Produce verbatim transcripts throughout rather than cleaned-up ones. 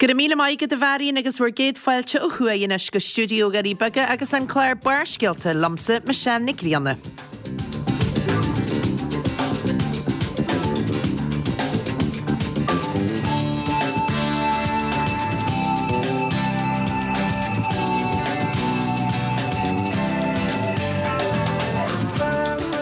Go raibh míle maith agat a Mharion agus bhur gcéad fáilte ó thuaidh anois go stiúideo Dhoirí Beaga agus an clár Barrscéalta liomsa, Michelle Nic Grianna.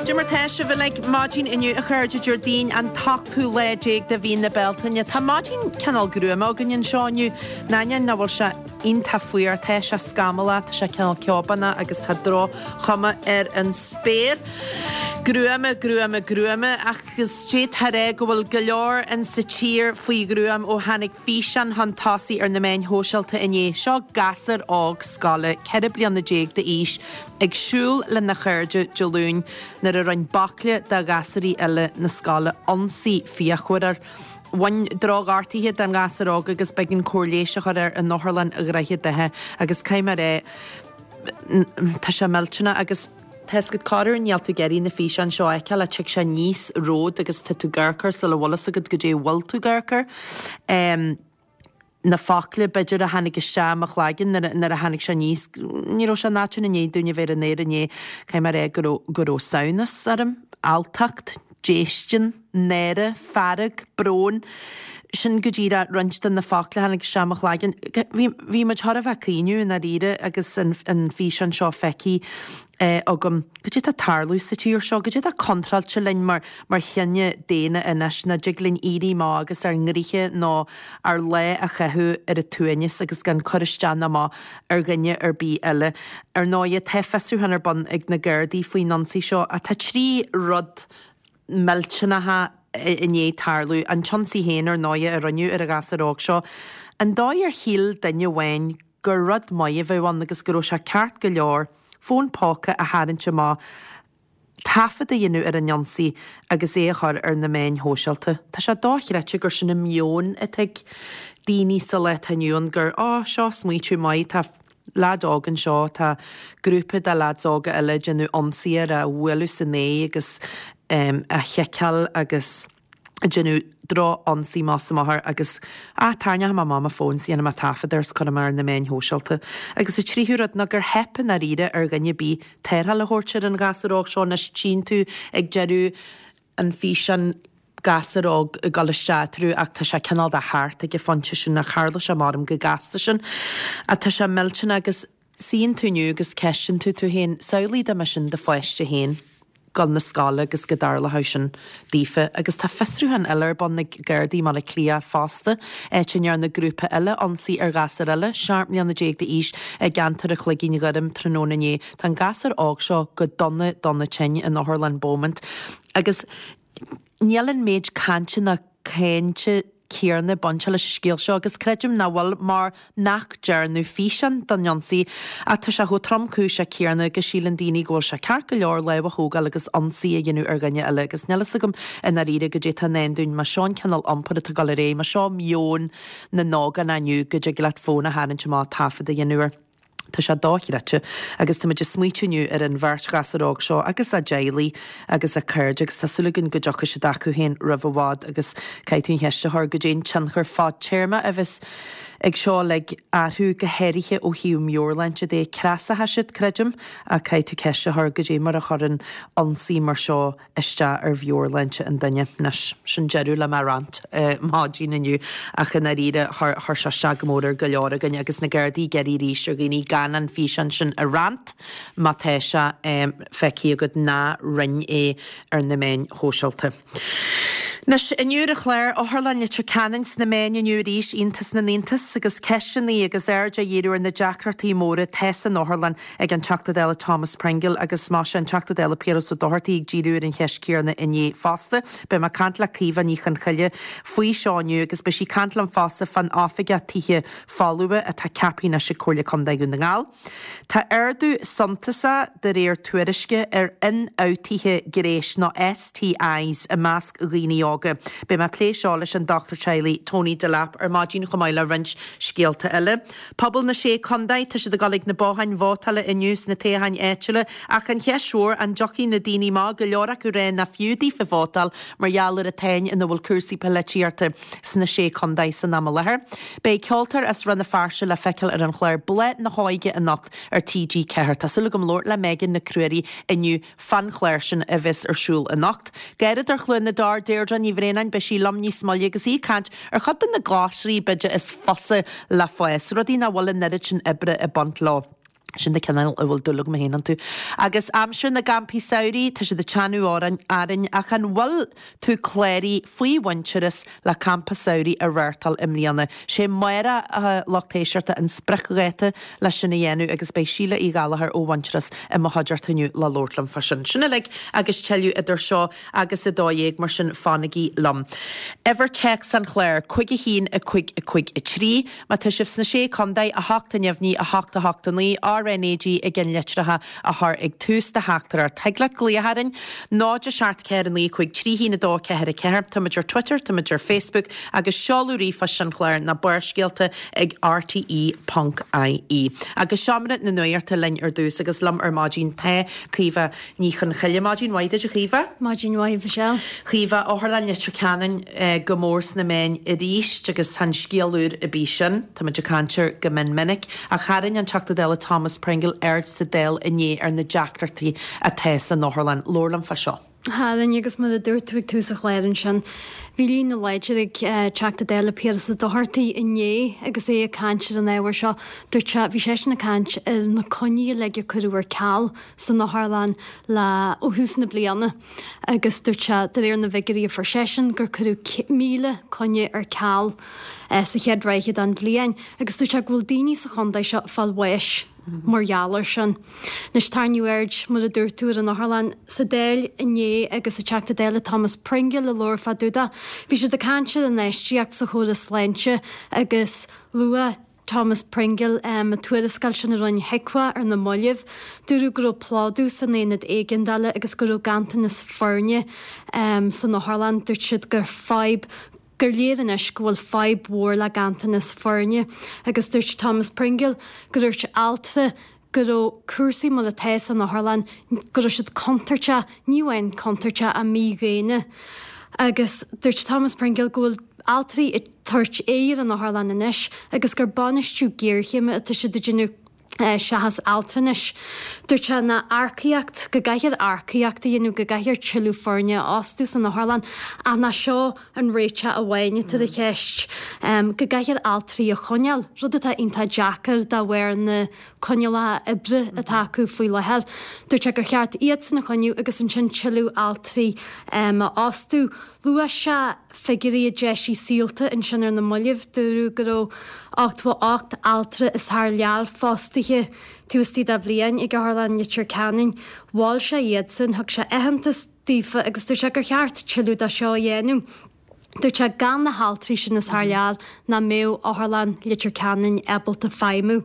Cad é mar tá sibh uilig maidin inniu a chairde Déardaoin an t-ochtú lá déag de mhí na Bealtaine. Tá maidin cineál gruama againn anseo inniu, in ainneoin nach bhfuil sé iontach fuar, tá sé scamallach, tá sé cineál ceobánach agus tá droch-chuma ar an spéir. Gruama, gruama, gruama, agus d'fhéadfá a rá go bhfuil go leor in sa tír faoi ghruaim ó tháinig físeán chun tosaigh ar na meáin shóisialta inné. Seo gasúr óg scoile, ceithre bliana déag d'aois, ag siúl lena chairde Dé Luain nuair a rinne baicle de ghasúraí eile na scoile ionsaí fíochmhar air. Bhain drochghortuithe don ghasúr óg agus b'éigean cóir leighis a chur air in Otharlann Dhroichead Átha agus caithfidh mé a rá, tá sé millteanach agus tá a fhios agat corruair níl tú ag iarraidh na físeáin seo a fheiceáil ach tig sé aníos romhat agus tá tú ag amharc air sula bhfuil fhios agat goidé a bhfuil tú ag amharc air. Na focla b'fhéidir a tháinig isteach i mo chloigeann nuair a tháinig sé aníos, ní raibh sé in áit i ndiaidh dúinn a bheith ar an aer inné, caithfidh mé a rá go raibh go raibh samhnas orm, alltacht, déistin, náire, fearg, brón. Sin go díreach roinnt de na focla a tháinig isteach i mo chloigeann. Bhí, bhí muid chóir a bheith ag caoineadh i ndáiríre agus an, an físeán seo feicthe agam. Goidé tá ag tarlú sa tír seo? Goidé tá contráilte linn mar, mar chine daonna anois? Nach dtig linn éirí amach agus ár ngnoithe nó ár lá a chaitheamh ar an tsuaimhneas agus gan cur isteach ná amach ar dhuine ar bith eile. Ar ndóighe, tá fiosrúchán ar bun ag na Gardaí faoin ionsaí seo ach tá trí rud millteanacha i ndiaidh tarlú, an t-ionsaí féin ar ndóighe a rinneadh ar an ghasúr óg seo, an dóigh ar shíl duine amháin gur rud maith a bheadh ann agus go raibh sé ceart go leor fón póca a tharraingt amach, taifead a dhéanamh ar an ionsaí agus é a chur ar na meáin shóisialta. Tá sé dochreidte gur sin an meon atá ag daoine sa lá atá inniu ann gur, á, seo smaoitiú maith, tá leaid óg anseo, tá grúpa de leaids óga eile ag déanamh ionsaí air, á bhualadh san aghaidh agus á chiceáil agus ag déanamh droch-ionsaí amach is amach air agus, ah, tarraingeoidh mé amach mo fón is déanfaidh mé taifead air is cuirfidh mé ar na meáin shóisialta. Agus an tríú rud ná gur theip i ndáiríre ar dhuine ar bith tarrtháil a thabhairt ar an ghasúr óg seo. Anois tchíonn tú ag deireadh an fhíseáin gasúr óg ag dul isteach eatarthu ach tá sé cineál de thart ag an phointe sin ach tharla sé measaim go gasta sin. Ach tá sé millteanach agus suíonn tú inniu agus ceistionn tú tú féin, samhlaigh dá mba sin do pháiste féin dul na scoile agus go dtarlódh sin daofa. Agus tá fiosrúchán eile ar bun ag Gardaí i mBaile Átha Cliath fosta, áit a ndearna grúpa eile ionsaí ar ghasúr eile, seacht mbliana déag d'aois, i gceantar an Chloigín Ghoirm tráthnóna inné. Tá an gasúr óg seo go dona dona tinn in Otharlann Beaumont agus níl an méid cainte ná cáinte céanna bainte leis an scéal seo agus creidim nach bhfuil mar nach dearnadh físeán den ionsaí ach tá sé chomh tromchúiseach céanna go síleann daoine go bhfuil sé ceart go leor lámh a thógáil agus ionsaí a dhéanamh ar dhuine eile agus níl fhios agam i ndáiríre goidé atá i ndán dúinn más seo an cineál iompair atá ag dul ar aghaidh, más seo meon na n-ógánach inniu go dtig leat fón a tharraingt amach taifead a dhéanamh air. Tá sé dochreidte agus tá muid ag smaoitiú inniu ar an bheirt ghasúr óg seo agus a dteaghlaigh agus a cairde agus tá súil againn go dtiocfaidh siad acu féin roimh i bhfad agus caithfidh tú an cheist a chur goidé an tionchar fadtéarma a bheas ag seo uilig orthu go háirithe ó thaobh meabhairshláinte de. Cneasóidh siad, creidim, ach caithfidh tú ceist a chur goidé mar a chuireann ionsaí mar seo isteach ar mheabhairshláinte an duine. Anois, sin deireadh le mo rant maidin inniu, ach i ndáiríre, chuir sé isteach go mór ar go leor againn agus na Gardaí ag iarraidh arís ar dhaoine gan an físeán sin a roinnt má tá sé feicthe agat, ná roinn é ar na meáin shóisialta. Anois, inniu ar an chlár, Otharlann Leitir Ceanainn sna meáin inniu arís, iontas na n-iontas, agus ceisteanna agus aird á dhíriú ar na deacrachtaí móra atá san otharlann ag an Teachta Dála Thomas Pringle agus más ea an Teachta Dála Piaras Ó Dochartaigh ag díriú ar an cheist chéanna inné fosta. Beidh mé ag caint le Caoimhe Ní Chonchoille faoi seo inniu agus beidh sí ag caint liom fosta fán oifigeach tithe folmha atá ceaptha anois ag Comhairle Contae Dhún na nGall. Tá ardú suntasach de réir tuairisce ar ionfhabhtuithe gnéis nó STIs i measc dhaoine óga. óga. Beidh mé ag plé seo leis an dochtúir teaghlaigh Tony Delap ar maidin chomh maith le roinnt scéalta eile. Pobal na Sé Chontae, tá siad ag dul ag na botháin vótála inniu sna toghcháin áitiúla ach an cheist mhór an dtiocfaidh na daoine amach, go leor acu ag rá nach fiú daofa vótáil mar gheall ar an tsáinn ina bhfuil cúrsaí polaitíochta sna Sé Chontae san am i láthair. Beidh ceoltóir as Rann na Feirste le feiceáil ar an chlár Bláth na hÓige anocht ar T G ceathair. Tá súil agam labhairt le Megan Nic Ruairí inniu fán chlár sin a bheas ar siúl anocht. Garradóir Chluain na dTor, Deirdre Ní Bhraonáin, beidh sí liom níos moille agus í ag caint ar chuid de na glasraí b'fhéidir is fusa le fás, rudaí nach bhfuil an oiread sin oibre ag baint leo. Sin na cineál a bhfuil dúil agam féin iontu. Agus aimsir na gcampaí samhraidh, tá siad ag teannadh orainn, arainn, ach an bhfuil tú cláraithe faoi Mhuintearas le campa samhraidh a reáchtáil i mbliana? Sé amárach, a lucht éisteachta, an spriocdháta le sin a dhéanamh agus beidh Síle Uí Ghallchóir ó Mhuintearas i mo chuideachta inniu le labhairt liom fá sin. Sin uilig agus tuilleadh idir seo agus a dó dhéag, mar sin fanaigí liom. Uimhir téacs an chláir, cúig a haon a cúig a cúig a trí. Má tá sibh sna Sé Chontae, a hocht a neamhní, a hocht a hocht a naoi, R N A G i gceannlitreacha a chur ag tús do theachtaireacht. Thig leat glaoch orainn, náid a seacht ceathair a naoi cúig trí haon a dó ceathair a ceathair. Táimid ar Twitter, táimid ar Facebook agus seoladh ríomhphoist an chláir ná Barrscéalta ag R T E ponc I E. Agus seomra na nuachta linn ar dtús agus liom ar maidin tá Caoimhe Ní Chonchoille. Maidin mhaith duit, a Chaoimhe. Maidin mhaith, Michelle. Chaoimhe, Otharlann Leitir Ceanainn go mór sna meáin arís agus chan scéal úr ar bith sin. Táimid ag caint air go mion minic. Ach tharraing an Teachta Dála Thomas Pringle aird sa Dáil inné ar na deacrachtaí atá san otharlann. Labhair liom fá seo. Tharraing, agus mar a dúirt tú ag tús an chláir ansin, bhí líne láidir ag Teachta Dála Piaras Ó Dochartaigh inné agus é ag caint ar an ábhar seo. Dúirt sé, bhí seisean ag caint ar na coinní uilig a cuireadh ar ceal san otharlann le ó thús na bliana agus dúirt sé, de réir na bhfigiúirí a fuair seisean, gur cuireadh míle coinne ar ceal sa chéad ráithe den bhliain agus dúirt sé go bhfuil daoine sa chontae seo ag fáil bháis mar gheall air sin. Anois tarraingíodh aird, mar a dúirt tú, ar an otharlann sa Dáil inné agus an Teachta Dála Thomas Pringle a labhair fá dtaobh de. Bhí siad ag caint ar an infheistíocht sa chóras sláinte agus luaigh Thomas Pringle an tuarascáil sin a rinne HIQA ar na mallaibh. Dúradh go raibh plódú san aonad éigeandála agus go raibh ganntanas foirne san otharlann. Dúirt siad gur fadhb gur léir anois go bhfuil fadhb mhór le ganntanas foirne agus dúirt Thomas Pringle go dúirt altra go raibh cúrsaí mar atá san otharlann, go raibh siad contúirteach, ní amháin contúirteach ach mídhaonna. Agus dúirt Thomas Pringle go bhfuil altraí ag tabhairt aghaidh ar an otharlann anois agus gur bainistiú géarchéime atá siad ag déanamh seachas altranais. Dúirt sé nach earcaíocht, go gcaithfear earcaíocht a dhéanamh, go gcaithfear tuilleadh foirne a fhostú san otharlann ach nach seo an réiteach amháin atá ar an cheist, go gcaithfear altraí a choinneáil, rud atá iontach deacair de bharr na coinníollacha oibre atá acu faoi láthair. Dúirt sé gur cheart iadsan a choinniú agus ansin tuilleadh altraí a fhostú. Luaigh sé figiúirí a d'eisigh Saolta ansin ar na mallaibh. Dúradh go raibh ochtó a hocht altra as thar lear fostaithe taobh istigh de bhliain ag Otharlann Leitir Ceanainn. Mhol sé iadsan, thug sé aitheantas daofa agus dúirt sé gur cheart tuilleadh de seo a dhéanamh. Dúirt sé gan na haltraí sin as thar lear nach mbeadh Otharlann Leitir Ceanainn ábalta feidhmiú.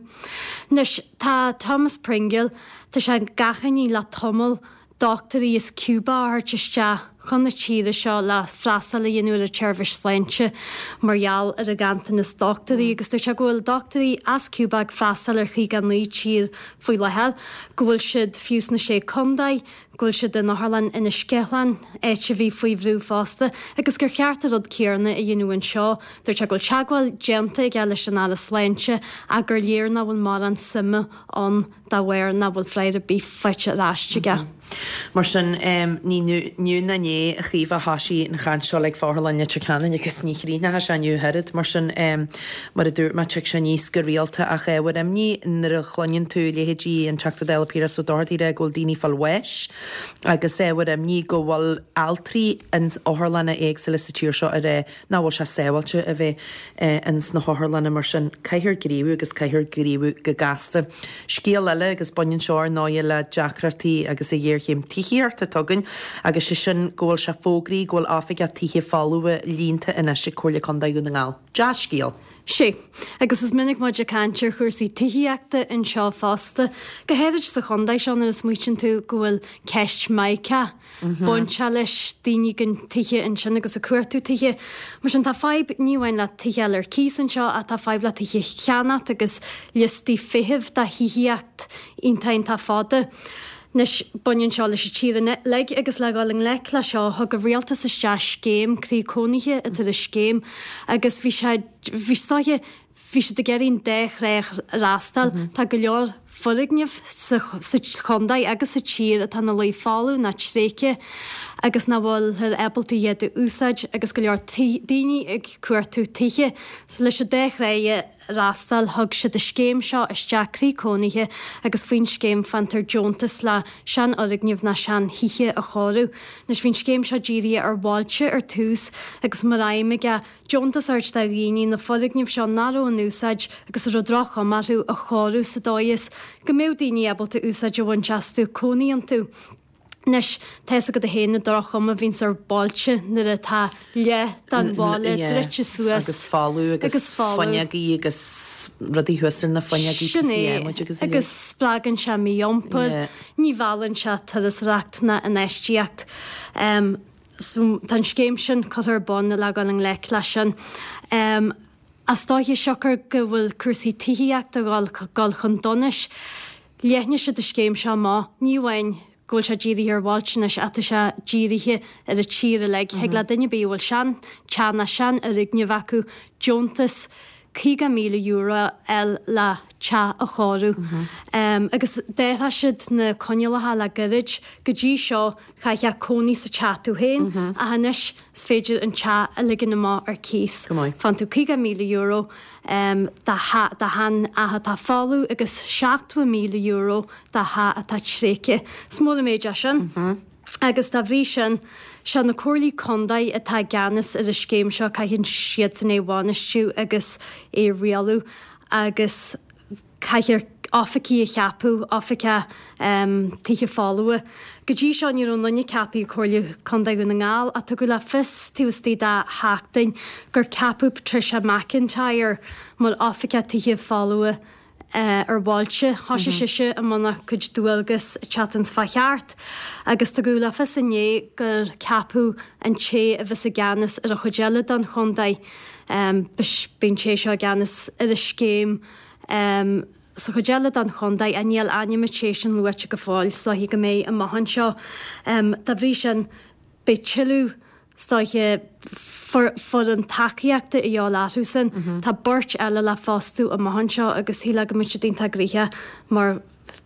Anois tá Thomas Pringle, tá sé ag achainí le tamall, dochtúirí as Cuba a thabhairt isteach chun na tíre seo le freastal a dhéanamh ar an tseirbhís sláinte mar gheall ar an ghanntanas dochtúirí agus dúirt sé go bhfuil dochtúirí as Cuba ag freastal ar chaoga a naoi tír faoi láthair, go bhfuil siad fiú sna Sé Contae, go bhfuil siad in Otharlann Inis Ceithleann, áit a bhí faoi bhrú fosta, agus gur cheart an rud céanna a dhéanamh anseo. Dúirt sé go bhfuil teagmháil déanta aige leis an Aire Sláinte ach gur léir nach bhfuil mórán suime ann dá bharr nach bhfuil freagra ar bith faighte ar ais aige. Mar sin, ní inniu ná inné, a Chaoimhe, a thoisigh an chaint seo like fá Otharlann Leitir Ceanainn agus ní chríochnóidh sé inniu ach oiread. Mar sin, mar a dúirt mé, tig sé aníos go rialta ach ábhar imní nuair a chluineann tú leithéidí an Teachta Dála Piaras Ó Dochartaigh ag rá go bhfuil daoine ag fáil bháis agus ábhar imní go bhfuil altraí in otharlanna éagsúla sa tír seo ag rá nach bhfuil sé sábháilte a bheith ins na hotharlanna mar sin caithfear gníomhú agus caithfear gníomhú go gasta. Scéal eile agus baineann seo ar ndóighe le deacrachtaí agus a ghéarchéim tithíochta atá againn agus sé sin go bhfuil sé fógraithe go bhfuil oifigeach tithe folmha líonta anois ag Comhairle Contae Dhún na nGall. Dea-scéal. Sé, agus is minic muid ag caint ar chúrsaí tithíochta anseo fosta, go háirid sa chontae seo nuair a smaoitíonn tú go bhfuil ceist Mica bainte leis daoine gan tithe ansin agus ag cuartú tithe. Mar sin tá fadhb ní amháin le tithe eile ar cíos anseo ach tá fadhb le tithe a cheannacht agus liostaí feithimh do thithíocht iontach iontach fada. Anois, baineann seo leis an tír uilig agus le dhul i ngleic le seo, thug an rialtas isteach scéim croí cónaithe atá ar an scéim agus bhí sé, bhí is dóiche, bhí siad ag iarraidh an dá thrá a fhreastal. Tá go leor foirgneamh sa sa chontae agus sa tír atá ina luí folamh nó tréigthe agus nach bhfuilthear ábalta iad a úsáid agus go leor daoine ag cuartú tithe. So leis an dá thrá a fhreastal, thug siad an scéim seo isteach, Croí Cónaithe, agus faoin scéim faightear deontas le seanfhoirgnimh ná seanthithe a chóiriú. Anois bhí an scéim seo dírithe ar bhailte ar tús agus mar aidhm aige deontas a thabhairt do dhaoine na foirgnimh seo nach raibh in úsáid agus a raibh droch-chuma orthu a chóiriú sa dóigh is go mbeadh daoine ábalta úsáid a bhaint astu, cónaí iontu. Anois, tá fhios agat féin an droch-chuma a bhíonns ar bhailte nuair atá leath den bhaile druidte suas. Agus folamh agus fuinneogaí agus rudaí thuas ar na fuinneogaí, Sin é, agus spreagann sé mí-iompar, ní mheallann sé turasóireacht ná infheistíocht. So tá an scéim sin curtha ar bun le dhul i ngleic leis sin. Is dóiche siocair go bhfuil cúrsaí tithíochta ag dul chun donais, leathnaigh siad an scéim seo amach, ní amháin go bhfuil sé dírithe ar bhailte anois ach tá sé dírithe ar an tír uilig. Thig le duine ar bith a bhfuil sean teach ná sean fhoirgneamh acu deontas caoga míle euro a fháil le teach a chóiriú. Agus d'athraigh siad na coinníollacha le gairid. Go dtí seo chaithfeá cónaí sa teach tú féin ach anois is féidir an teach a ligean amach ar cíos. Faigheann tú caoga míle euro do sheanteach atá folamh agus seachtó míle euro do theach atá tréigthe. Is mór an méid é sin. Agus dá bhrí sin, sé na comhairlí contae atá i gceannas ar an scéim seo, caitheann siadsan é a bhainistiú agus é a rialú agus caithfear oifigigh a cheapadh, oifigeach tithe folmha. Go dtí seo ní raibh aon duine ceaptha ag Comhairle Contae Dhún na nGall ach tugadh le fios taobh istigh de sheachtain gur ceapadh Patricia McIntyre mar oifigeach tithe folmha ar bhailte. Thosaigh sise i mbun a cuid dualgas an tseachtain seo chuaigh thart agus tugadh le fios inné gur ceapadh an té a bheas i gceannas ar an chuid eile den chontae. Beidh an té seo i gceannas ar an scéim sa chuid eile den chontae ach níl ainm an té sin luaite go fóill, is dóiche go mbeidh amach anseo. Dá bhrí sin, beidh tuilleadh, is dóiche, foireann tacaíochta a dhíobháil orthusan. Tá beirt eile le fostú amach anseo agus shílfeá go mbeadh siad iontach gnoitheach mar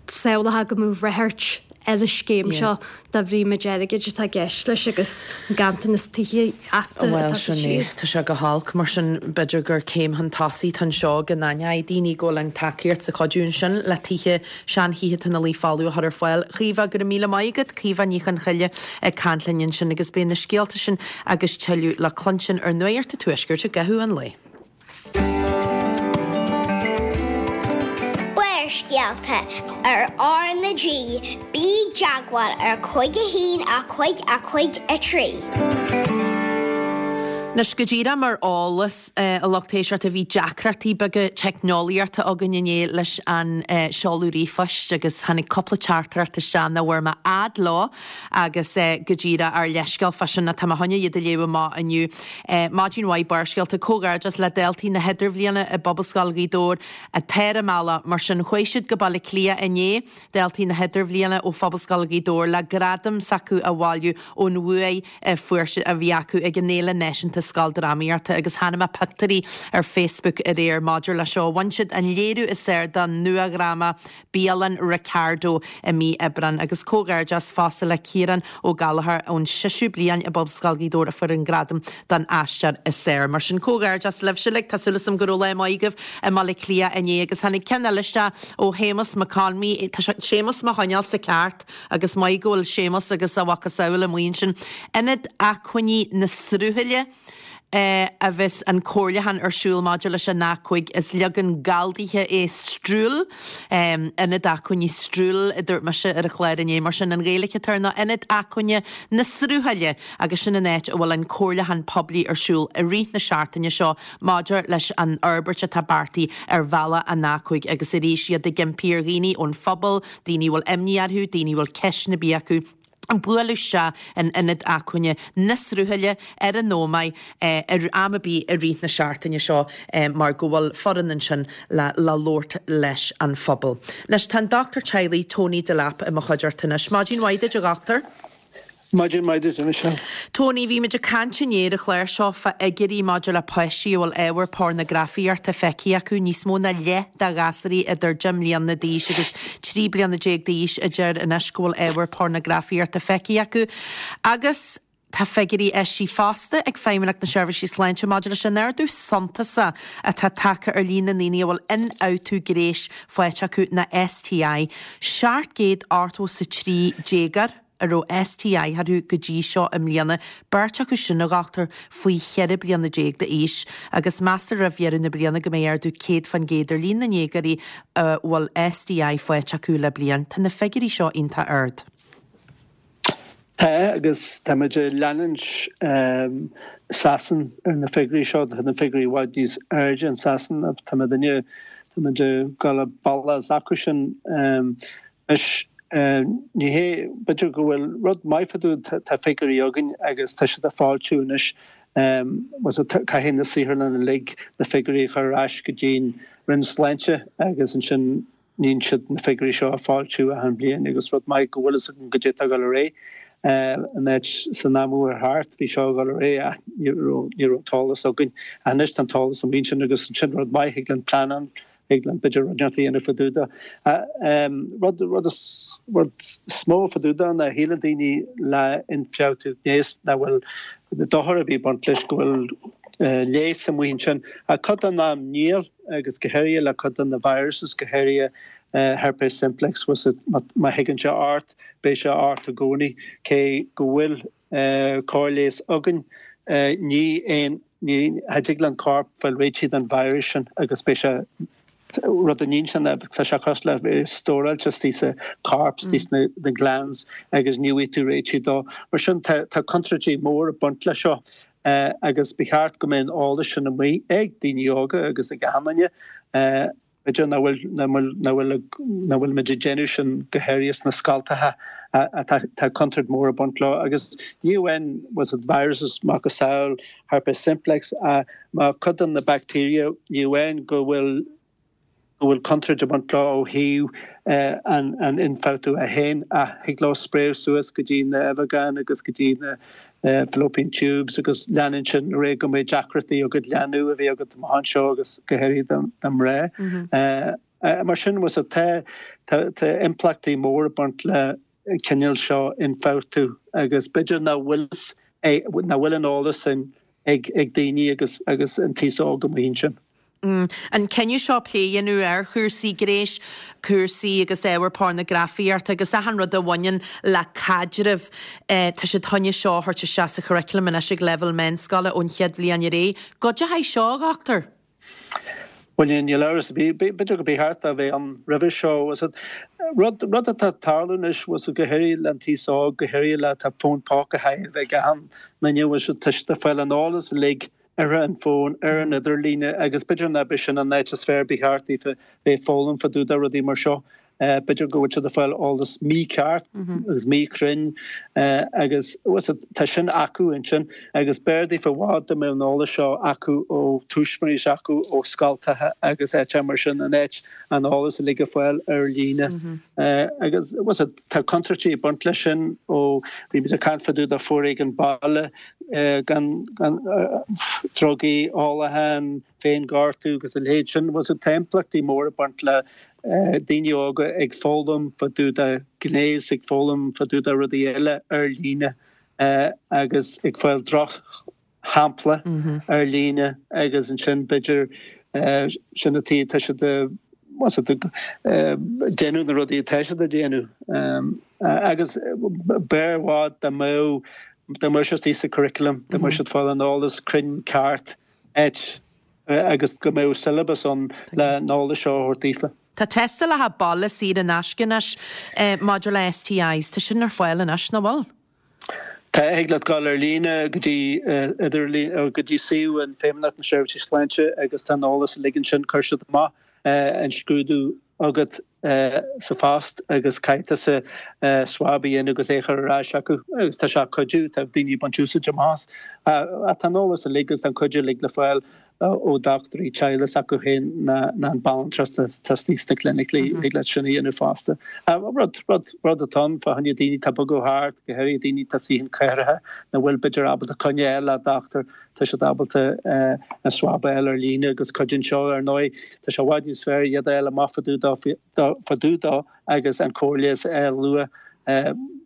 samhlófá go mbeadh ráchairt ar an scéim seo de bhrí méid airgid atá i gceist leis agus an ganntanas tithíochta Bhuel, atá sa sin é. tír. Tá sé go holc. Mar sin, b'fhéidir gur céim chun tosaigh atá anseo go n-aithneoidh daoine go bhfuil an tacaíocht 's an cuidiú ansin le tithe, seanthithe atá ina luí folamh a chur ar fáil. Caoimhe, go raibh míle maith agat. Caoimhe Ní Chonchoille ag caint linn ansin agus beidh na scéalta sin agus tuilleadh le cluinstin ar Nuacht an Tuaiscirt i gcaitheamh an lae. Barrscéalta ar R na G, bí i dteagmháil ar cúig a haon a cúig a cúig a trí. Anois go díreach mar eolas a lucht éisteachta bhí deacrachtaí beaga teicneolaíochta againn inné leis an seoladh ríomhphoist agus tháinig cúpla teachtaireacht isteach nach bhfuair mé fhad leo agus go díreach ár leithscéal fá sin tá mé chun iad a léamh amach inniu. Maidin mhaith Barrscéalta, Comhghairdeas le daltaí na hIdirbhliana i bPobalscoil Ghaoth Dobhair atá ar a mbealach mar sin chuaigh siad go Baile Átha Cliath inné, daltaí na hIdirbhliana ó Phobalscoil Ghaoth Dobhair le gradam s'acu a bhailiú ón bhuaidh a fuair siad a bhí acu ag an Fhéile Náisiúnta Scoildrámaíochta agus chonaic mé pictiúirí ar Facebook aréir maidir le seo. Bhain siad an léiriú is fhearr don nua-dhráma Bialann Ricardo i mí Aibreáin agus comhghairdeas fosta le Ciarán Ó Gallchóir ón seisiú bliain i bPobalscoil Ghaoth Dobhair a fuair an gradam don aisteoir is fearr. Mar sin comhghairdeas libhse uilig, tá súil agam go raibh lá maith agaibh i mBaile Átha Cliath inné agus tháinig ceann eile isteach ó Shéamus McConmee, tá Séamus mo choinneáil sa ceart agus maith go bhfuil Séamus agus a mhacasamhail amuigh ansin. Ionad Acmhainní na Sruthaile. a bheas an comhairliúchán ar siúl maidir leis an A cúig. Is leagan galldaithe é Strule, Ionad Acmhainní Strule a dúirt mise ar an chlár inné, mar sin an Ghaeilge atá air ná Ionad Acmhainne na Sruthaile agus sin an áit a bhfuil an comhairliúchán poiblí ar siúl i rith na seachtaine seo maidir leis an fhorbairt atá beartaithe ar bhealach an A cúig agus arís iad ag impí ar dhaoine ón phobal, daoine a bhfuil imní orthu, daoine a bhfuil ceisteanna ar bith acu, bualadh isteach in Ionad Acmhainne na Sruthaile ar an Ómaigh ar am ar bith i rith na seachtaine seo mar go bhfuil foireann ansin le labhairt leis an phobal. Anois tá an dochtúir teaghlaigh Tony Delap i mo chuideachta anois. Maidin mhaith duit a dhochtúir. Maidin mhaith duit, a Michelle. Tony, bhí muid ag caint inné ar an chlár seo fá fhigiúirí maidir le páistí a bhfuil ábhar pornagrafaíochta feicthe acu, níos mó ná leath de ghasúraí idir deich mbliana d'aois agus trí bliana déag d'aois a deir anois go bhfuil ábhar pornagrafaíochta feicthe acu. Agus tá figiúirí eisithe fosta ag Feidhmeannacht na Seirbhísí Sláinte maidir leis an ardú suntasach atá tagtha ar líon na ndaoine a bhfuil ionfhabhtú gnéis faighte acu ná S T I. Seacht gcéad ochtó is a trí déagóir a raibh S T I orthu go dtí seo i mbliana, beirt acu sin, a dhochtúir, faoi cheithre bliana déag d'aois, agus meastar roimh dheireadh na bliana go mbeidh ardú céad faoin gcéad ar líon na ndéagóirí a bhfuil S T I faighte acu le bliain. Tá na figiúirí seo iontach ard. Tá, agus táimid ag leanúint um, Sasan ar na figiúirí seo. Tá na figiúirí i bhfad níos airde in Sasan. Tá duine tá gal balla acu sin um, is ní hé b'fhéidir go bhfuil rud maith fá dtaobh, tá figiúirí againn agus tá siad ag foilsiú anois. Caithfidh na saotharlanna uilig na figiúirí a chur ar ais go dtí'n Roinn Sláinte agus ansin níonn siad na figiúirí seo a foilsiú achan bliain agus rud maith go bhfuil an go dtí go ré an áit san am ar thart bhí seo go ré ní raibh t-eolas againn. Anois tá an t-eolas an sin agus sin rud maith ag an plean ag an b'fhéidir rud dhéanamh fá dtaobh de. Rud rud rud is mó fá dtaobh de ná shíleann daoine le ionfhabhtú gnéis nach bhfuil dochar a bhí baint leis, go bhfuil leigheas amuigh ansin. A cuid den am níl, agus go háirithe le cuid de na viruses, go háirithe herpes simplex, má thigeann sé ort, beidh sé ort i gcónaí, cé go bhfuil cóir leighis againn. Ní aon ní thig le an corp fáil réitithe den virus sin agus beidh sé rud a níonn sin tá sé cosúil le stóráilte istigh sa corp, istigh sna na glands, agus ní bhfaighidh tú réitithe dó. Mar sin tá contúirtí mór ag baint le seo agus ba cheart go mbeadh an eolas sin amuigh ag daoine óga agus ag achan duine. B'fhéidir nach bhfuil nach bhfuil nach bhfuil nach bhfuil muid ag déanamh sin, go háirithe sna scoltacha. Tá contúirt mór ag baint leo agus ní amháin was it viruses macasamhail herpes simplex, má cuid de na bacteria, ní amháin go bhfuil go bhfuil contúirt ag baint leo ó thaobh an an ionfhabhtú é féin, ach thig leo spréadh suas go dtí na uibheagáin agus go dtí na fallopian tubes agus leanann sin ré go mbeidh deacrachtaí agat leanbh a bheith agat amach anseo, agus go háirithe do mhná. Mar sin was tá tá impleachtaí mór ag baint le cineál seo ionfhabhtú agus b'fhéidir nach bhfuil nach bhfuil an eolas sin ag ag daoine agus agus an t-aos óg amuigh ansin. Mm. An cinneadh seo plé a dhéanamh ar chúrsaí gnéis, cúrsaí agus ábhar pornagrafaíochta agus achan rud a bhaineann le caidreamh, tá siad chun é seo a thabhairt isteach sa churriculum anois ag leibhéal meánscoile ón chéad bhliain ar aghaidh. Goidé seo, a dhochtúir? Well, níl amhras, b'fhéidir go ba cheart a bheith ann roimhe seo. Rud rud atá ag tarlú anois was go háirithe le an t-aos óg, go háirithe le tá fón póca ag achan duine, was tá siad ag fáil an eolas uilig ar an bhfón, ar an idirlíne, agus b'fhéidir nach b'é sin an áit is fearr ba cheart daofa bheith foghlaim fá dtaobh de rudaí mar seo. B'fhéidir go bhfuil siad ag fáil eolas mícheart agus míchruinn agus tá sin acu ansin agus b'fhearr daofa i bhfad dá mbeadh an eolas seo acu ó tuismitheoirí acu ó scoltacha agus áit mar sin in áit an eolas uilig a fáil ar líne. Agus tá contúirtí ag baint leis sin. Ó bhí muid ag caint fá dtaobh de foréigean baile, gan gan drugaí, ólachán, féinghortú agus a leithéid sin. Was tá impleachtaí mór ag baint le daoine óga ag foghlaim fá dtaobh de gnéas, ag foghlaim fá dtaobh de rudaí eile ar líne agus ag fáil drochshampla ar líne agus ansin b'fhéidir sin an tuige tá siad déanamh na rudaí atá siad a déanamh. Agus b'fhearr i bhfad dá mbeadh Dá mbeadh sé istigh sa curriculum, dá mbeadh siad fáil an eolas cruinn ceart áit agus go mbeadh syllabus ann le an eolas seo a thabhairt daofa. Tá tástálacha baile saor in aisce anois maidir le STIs. Tá sin ar fáil anois, nach bhfuil? Tá, thig leat dul ar líne go dtí idirlíon, go dtí suíomh an Feidhmeannacht na Seirbhísí Sláinte agus tá an eolas uilig ansin. Cuir siad amach an scrúdú agat sa phost agus caithfidh tusa swab a dhéanamh agus é a chur ar ais acu agus tá sé ag cuidiú, tá daoine ag baint úsáid amach as. Tá an eolas uilig agus tá an cuidiú uilig le fáil ó dochtúirí teaghlaigh s'acu féin ná an banaltras atá istigh sna clinicí, thig leat sin a dhéanamh fosta. Rud, rud, rud atá ann fá choinne daoine atá ag bogadh thart, go háirithe daoine atá istigh in cathracha nach bhfuil b'fhéidir ábalta coinne a fháil le dochtúir, tá siad ábalta an swab a fháil ar líne agus cuidíonn seo ar ndóigh, tá sé i bhfad níos fearr iad a fháil amach fá dtaobh dó agus an cóir leighis a fháil luath.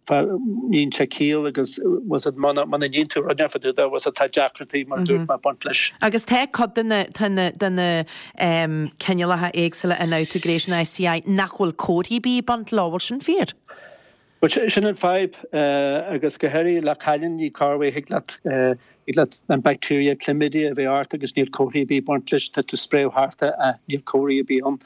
Níonn sé ciall agus was it muna níonn tú rud fá dtaobh dó was it tá deacrachtaí mar a dúirt mé ag baint leis. Agus tá cuid de na de na de na cineálacha éagsúla ionfhabhtú gnéis na STI nach bhfuil comharthaí ar bith ag baint leo, bhfuil sin fíor? Bhuel sin an fadhb agus go háirithe le cailíní corruair thig leat thig leat an bacteria chlamydia a bheith ort agus níl comharthaí ar bith ag baint leis, tá tú ag spréadh thart ach níl comharthaí ar bith ann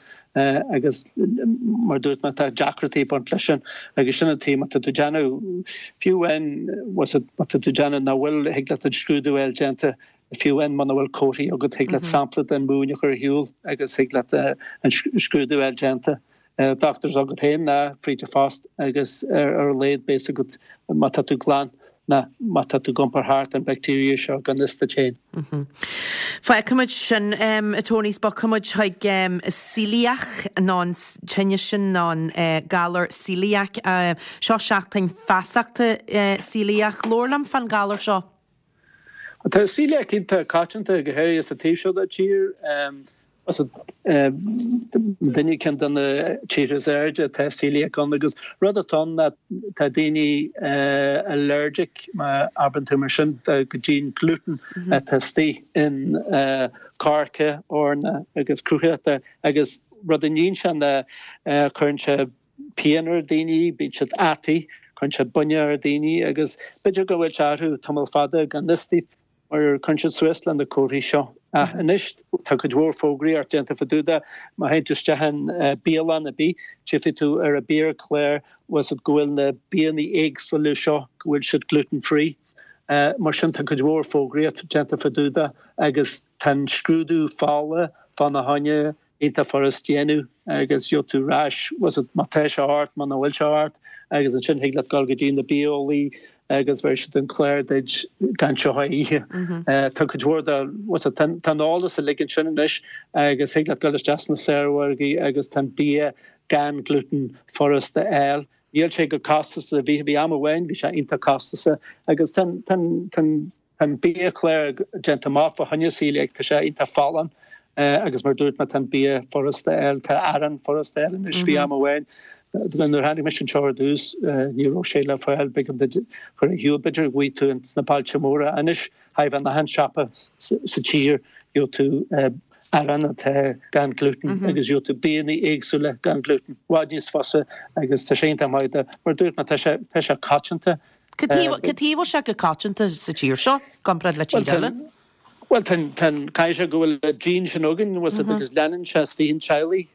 agus mar dúirt mé tá deacrachtaí ag baint leis sin agus sin an taobh má tá tú ag déanamh fiú amháin má tá tú ag déanamh nach bhfuil thig leat an scrúdú a fháil déanta fiú amháin muna bhfuil comharthaí agat thig leat sampla den mhúin a chur ar shiúl agus thig leat an scrúdú a fháil déanta. Dochtúir agat féin ná fríd an phost agus ar a laghad beidh a fhios agat má tá tú glan ná má tá tú ag iompar thart an bacteria seo gan fhios duit féin. Fágfaimid sin, a Tony, 's bogfaimid chuig celiac nó an tinneas sin nó an galar celiac. Seo seachtain feasachta celiac. Labhair liom fán galar seo. Tá celiac iontach coitianta go háirithe sa taobh seo den tír. Duine ceann de na tíortha is airde atá celiac ann agus rud atá ann ná tá daoine allergic má abrann tú mar sin go dtí an gluten atá istigh in coirce, eorna agus cruachta agus rud a níonn sé ná cuireann sé pian ar daoine, bíonn siad ataí, cuireann sé buinneach ar daoine agus b'fhéidir go bhfuil sé orthu tamall fada gan fhios daofa mar cuireann siad suas le na comharthaí seo. Ach anois tá cuid mhór fógraíocht déanta fá dtaobh de, má théann tú isteach in bialann ar bith, tchífidh tú ar an biachlár bhfuil siad go bhfuil na bianna éagsúla seo go bhfuil siad gluten free. Mar sin tá cuid mhór fógraíocht déanta fá dtaobh de agus tá an scrúdú fola fána choinne iontach furast déanamh agus gheobhaidh tú ar ais was it má tá sé ort muna bhfuil sé ort agus ansin thig leat dul go dtí na bitheolaí agus bheir siad an clár duit gan seo a ithe. Tá cuid mhór de was it tá an eolas uilig ansin anois agus thig leat dul isteach sna saormhargaí agus tá an bia gan gluten furast a fháil. Níl sé chomh costasach a bhí bhí am amháin bhí sé iontach costasach agus tá tá tá Tá an biachlár déanta amach fá choinne celiac, tá sé iontach folláin agus mar dúirt mé tá an bia furasta a fháil, tá arán furasta a fháil anois. Bhí am amháin nuair a tháinig mise anseo ar dtús ní raibh sé le fáil, b'éigean duit cur ar shiúl, b'fhéidir go bhfaighidh tú ins na bailte móra. Anois chóir a bheith in achan siopa sa tír gheobhaidh tú arán atá gan gluten agus gheobhaidh tú bianna éagsúla gan gluten, i bhfad níos fusa agus tá sé iontach maith do, mar dúirt mé tá sé tá sé coitianta. Cad chuige a bhfuil sé chomh coitianta sa tír seo, comparáid le tír eile? Bhuel, tá an, caithfidh sé go bhfuil an gene sin againn, bhfuil a fhios agat, agus leanann sé istigh in teaghlaigh.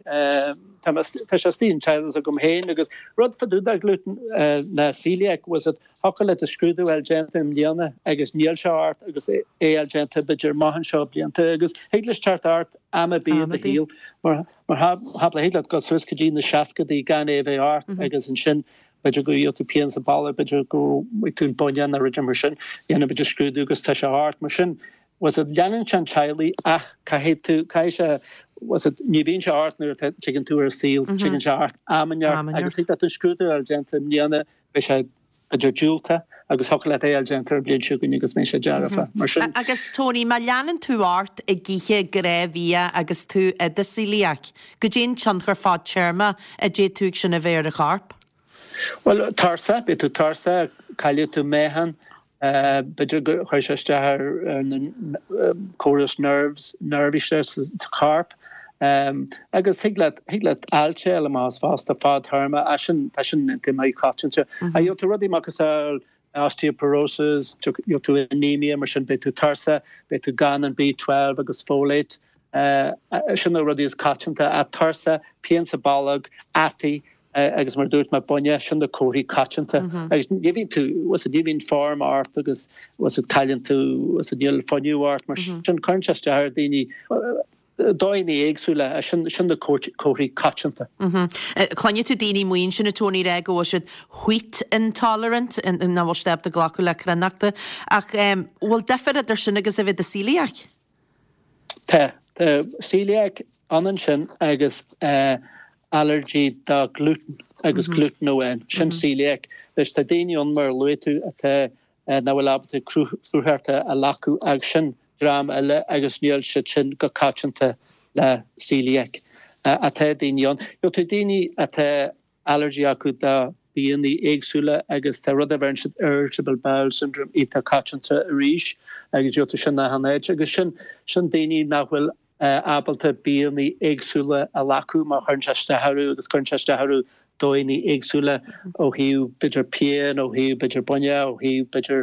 Tá tá sé istigh in teaghlach agam féin agus rud fá dtaobh de gluten ná celiac, bhfuil a fhios agat, thiocfadh leat an scrúdú a fháil déanta i mbliana agus níl sé ort agus é a fháil déanta b'fhéidir amach anseo blianta agus thig leis teacht ort am ar bith i do shaol. Mar shampla, thig leat dul suas go dtí na seascadaí gan é a bheith ort agus ansin B'fhéidir go bhfaighidh tú pian sa bholg, b'fhéidir go bhfaighidh tú an buinneán nó rud mar sin, dhéanfaidh muid an scrúdú agus tá sé ort. Mar sin, bhfuil a fhios agat, leanann sé an teaghlaigh ach caithfidh tú, caithfidh sé, bhfuil a fhios agat, ní bhíonn sé ort nuair a tigeann tú ar an saol, tigeann sé ort am inteacht agus thig leat an scrúdú a fháil déanta i mbliana, beidh sé b'fhéidir diúltach agus thiocfadh leat é a fháil déanta ar bhliain seo chugainn agus mbeidh sé dearfa. Mar sin. Agus Tony, má leanann tú ort ag ithe gnáthbhia agus tú i do celiac, goidé an tionchar fadtéarma a d'fhéadfadh sin a bheith ar an chorp? Bhuel, tuirseach, beidh tú tuirseach, caillfidh tú meáchan, b'fhéidir go chuirfidh sé isteach ar na córas nerves, neirbhíse sa chorp. Agus thig leat, thig leat ailse a fháil amach as fosta, fadtéarma, tá sin, tá sin iontach maith coitianta. Ach gheobhaidh tú rudaí macasamhail Osteoporosis, gheobhaidh tú anemia, mar sin beidh tú tuirseach, beidh tú gan an B twelve agus folate. Sin na rudaí is coitianta, ach tuirse, pian sa bholg, ataí agus mar a dúirt mé buinne, sin na comharthaí coitianta. Agus ní bhíonn tú, bhfuil ní bhíonn form ort agus bhfuil cailleann tú, bhfuil níl fuinneamh ort, mar sin cuireann sé isteach ar daoine, dóigheanna éagsúla, sin sin na comharthaí coitianta. Cluineann tú daoine amuigh ansin a Tony ag rá go bhfuil siad wheat intolerant, nach bhfuil siad ábalta glacadh le cruithneachta, ach bhfuil difear idir sin agus a bheith i do celiac? Tá. Tá celiac ionann sin agus allergy do gluten agus gluten amháin. Sin celiac. Anois tá daoine ann mar a luaigh tú atá nach bhfuil ábalta cruithneacht a ghlacadh agus sin dream eile agus níl siad sin go coitianta le celiac. Ach tá daoine ann. Gheobhaidh tú daoine atá allergy acu do bianna éagsúla agus tá rud a bheireann siad irritable bowel syndrome iontach coitianta arís agus gheobhaidh tú sin achan áit agus sin sin daoine nach bhfuil ábalta bianna éagsúla a ghlacadh mar chuireann sé isteach orthu agus cuireann sé isteach orthu dóigheanna éagsúla ó thaobh b'fhéidir pian, ó thaobh b'fhéidir buinne, ó thaobh b'fhéidir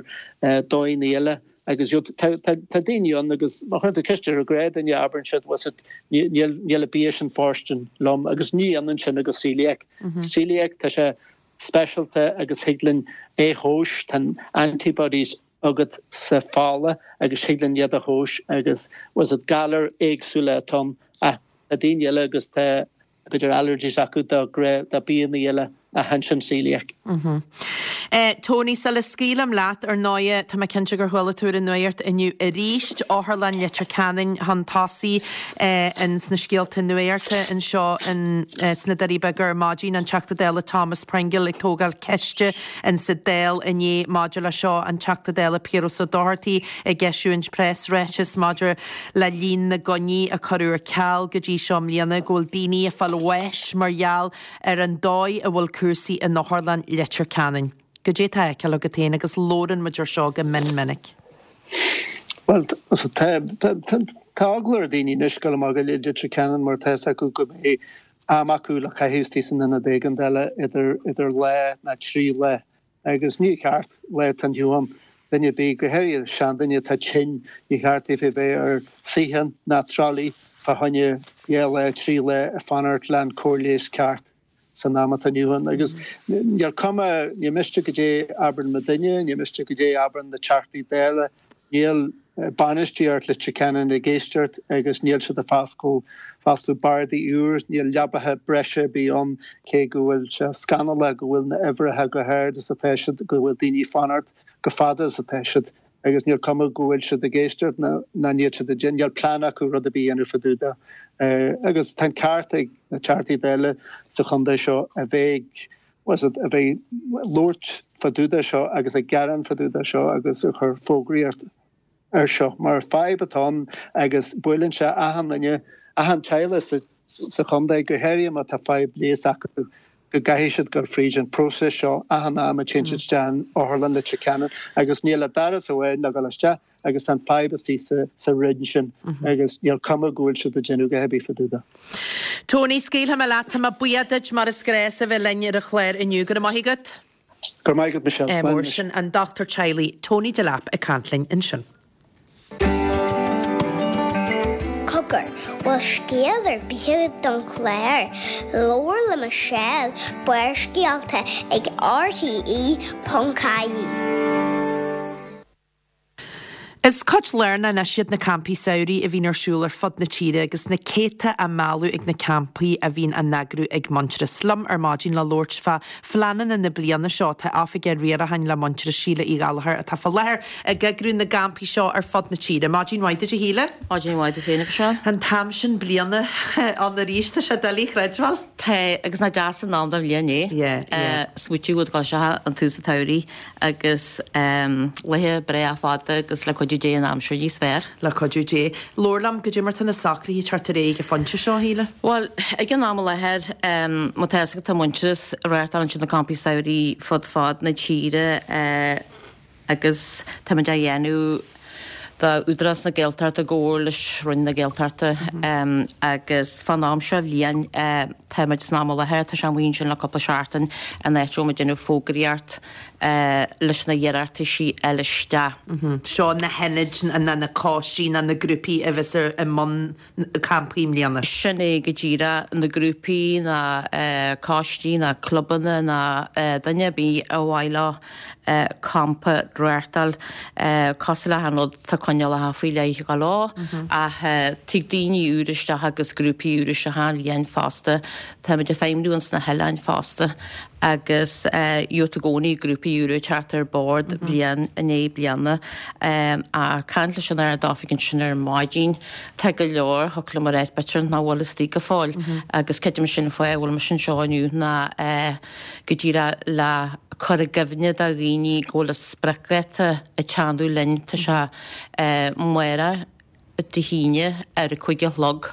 dóigheanna eile. Agus tá tá daoine ann agus má chuireann tú ceist ar ghnáthdhuine abraionn siad bhfuil siad níl níl an bia sin fóirstean liom agus ní ionann sin agus celiac. Celiac tá sé speisialta agus thig linn é a thomhas, tá antibodies agat sa fola agus thig linn iad a thomhas agus bhfuil siad galair éagsúla atá ann ach tá daoine eile agus tá b'fhéidir allergies acu do do bianna eile ach ansin celiac. Tony, sula scaoilim leat, ar ndóighe, tá mé cinnte gur chuala tú ar an nuacht inniu arís, Otharlann Leitir Ceanainn chun tosaigh ins na scéalta nuachta anseo in sna Doirí Beaga ar maidin, an Teachta Dála Thomas Pringle ag tógáil ceiste insa Dáil inné maidir le seo, an Teachta Dála Piaras Ó Dochartaigh ag eisiúint preasráiteas maidir le líon na gcoinní a cuireadh ar ceal go dtí seo i mbliana, go bhfuil daoine ag fáil bháis mar gheall ar an dóigh a bhfuil cúrsaí in Otharlann Leitir Ceanainn. Goidé tá á fheiceáil agat féin agus labhrann muid ar seo go mion minic. Bhuel, tá tá eagla ar daoine anois dul amach go Leitir Ceanainn mar tá fhios acu go mbeidh am acu le caitheamh istigh san ionad éigeandála idir idir lá ná trí lá. Agus ní ceart lá atá inniu ann duine ar bith, go háirithe seanduine atá tinn, ní cheart daofa bheith ar suíochán ná tralaí fá choinne dhá lá, trí lá ag fanacht le an cóir leighis ceart san am atá inniu ann. Agus níl cuma, ní miste goidé abrann mo duine, ní miste goidé abrann na Teachtaí Dála, níl bainistíocht Leitir Ceanainn ag éisteacht agus níl siad ag foscladh foscladh bardaí úr, níl leabaithe breise ar bith ann, cé go bhfuil sé scannalach go bhfuil na uimhreacha go hard is atá siad, go bhfuil daoine ag fanacht go fada is atá siad. Agus níl cuma go bhfuil siad ag éisteacht ná ná níl siad ag déanamh, níl plean acu rud ar bith a dhéanamh fá dtaobh de. Agus tá an ceart ag na Teachtaí Dála sa chontae seo a bheith was it, a bheith labhairt fá dtaobh de seo agus ag gearán fá dtaobh de seo agus ag cur fógraíocht ar seo mar fadhb atá ann agus buaileann sé achan duine, achan teaghlach sa, sa chontae, go háirithe má tá fadhb leighis acu, go gcaithfidh siad dul fríd an próiseas seo achan am a téann siad isteach in Otharlann Leitir Ceanainn agus níl ach doras amháin le dul isteach agus tá an fadhb istigh sa, sa roinn sin agus níl cuma go bhfuil siad ag déanamh a dhath ar bith fá dtaobh de. Tony, scaoilfidh mé leat, tá mé buíoch duit mar is gnách as a bheith linn ar an chlár inniu. Go raibh maith agat. Go raibh maith agat, Michelle. Slán Mór sin an dochtúir teaghlaigh Tony Delap ag caint linn ansin. Cogar, bhfuil scéal ar bith agat don chlár? Labhair le Michelle, Barrscéalta ag RTE ponc ie. Is cuid lárnach anois iad na campaí samhraidh a bhíonn ar siúl ar fud na tíre agus na céadta á mealladh ag na campaí a bhíonn á n-eagrú ag Muintearas. Liom ar maidin le labhairt fá phleananna na bliana seo tá Oifigeach Riaracháin le Muintearas Síle Uí Ghallchóir atá fá láthair ag eagrú na gcampaí seo ar fud na tíre. Maidin mhaith duit a Shíle. Maidin mhaith duit féin, a Mhichelle. An t-am sin bliana ann arís, tá sé doiligh a chreidbheáil. Tá, agus nach deas an am den bhliain é. Yeah, yeah. Smaoitiú go dtoiseoidh an tús an tsamhraidh agus laethe breá fada agus le cuidiú Dé an aimsir níos fearr. Le cuidiú Dé. Labhair liom, goidé mar tá na socruithe ag teacht ar aghaidh ag an phointe seo, a Shíle? Bhuel, ag an am i láthair, má tá fhios agat tá Muintearas ag reáchtáil ansin na campaí samhraidh fud fad na tíre agus táimid á dhéanamh do Údarás na Gaeltachta i gcomhar leis Roinn na Gaeltachta agus fán am seo bhliain táimid san am i láthair, tá sé amuigh ansin le cúpla seachtain, an áit a bhfuil muid ag déanamh fógraíocht leis na hiarrataisí a fháil isteach. Seo na hionaid ná na coistí ná na grúpaí a bheas i mbun campaí i mbliana. Sin é go díreach, na grúpaí ná coistí ná clubanna ná duine ar bith ar mhaith leo campa a reáchtáil. Cosúil le achan rud tá coinníollacha faoi leith ag gabháil leo ach tig daoine úra isteach agus grúpaí úra isteach achan bhliain fosta. Táimid ag feidhmniú ins na hoileáin fosta agus gheobhaidh tú i gcónaí grúpaí úra ag teacht ar bord bliain i ndiaidh bliana. Ag caint leis an Ard-Oifig ansin ar maidin, tá go leor, thiocfadh liom a ráit b'fhéidir, nach bhfuil istigh go fóill agus creidim sin an fáth a bhfuil mise anseo inniu ná go díreach le cur i gcuimhne do dhaoine go bhfuil an spriocdháta ag teannadh linn, tá sé amárach Dé hAoine ar a cúig a chlog,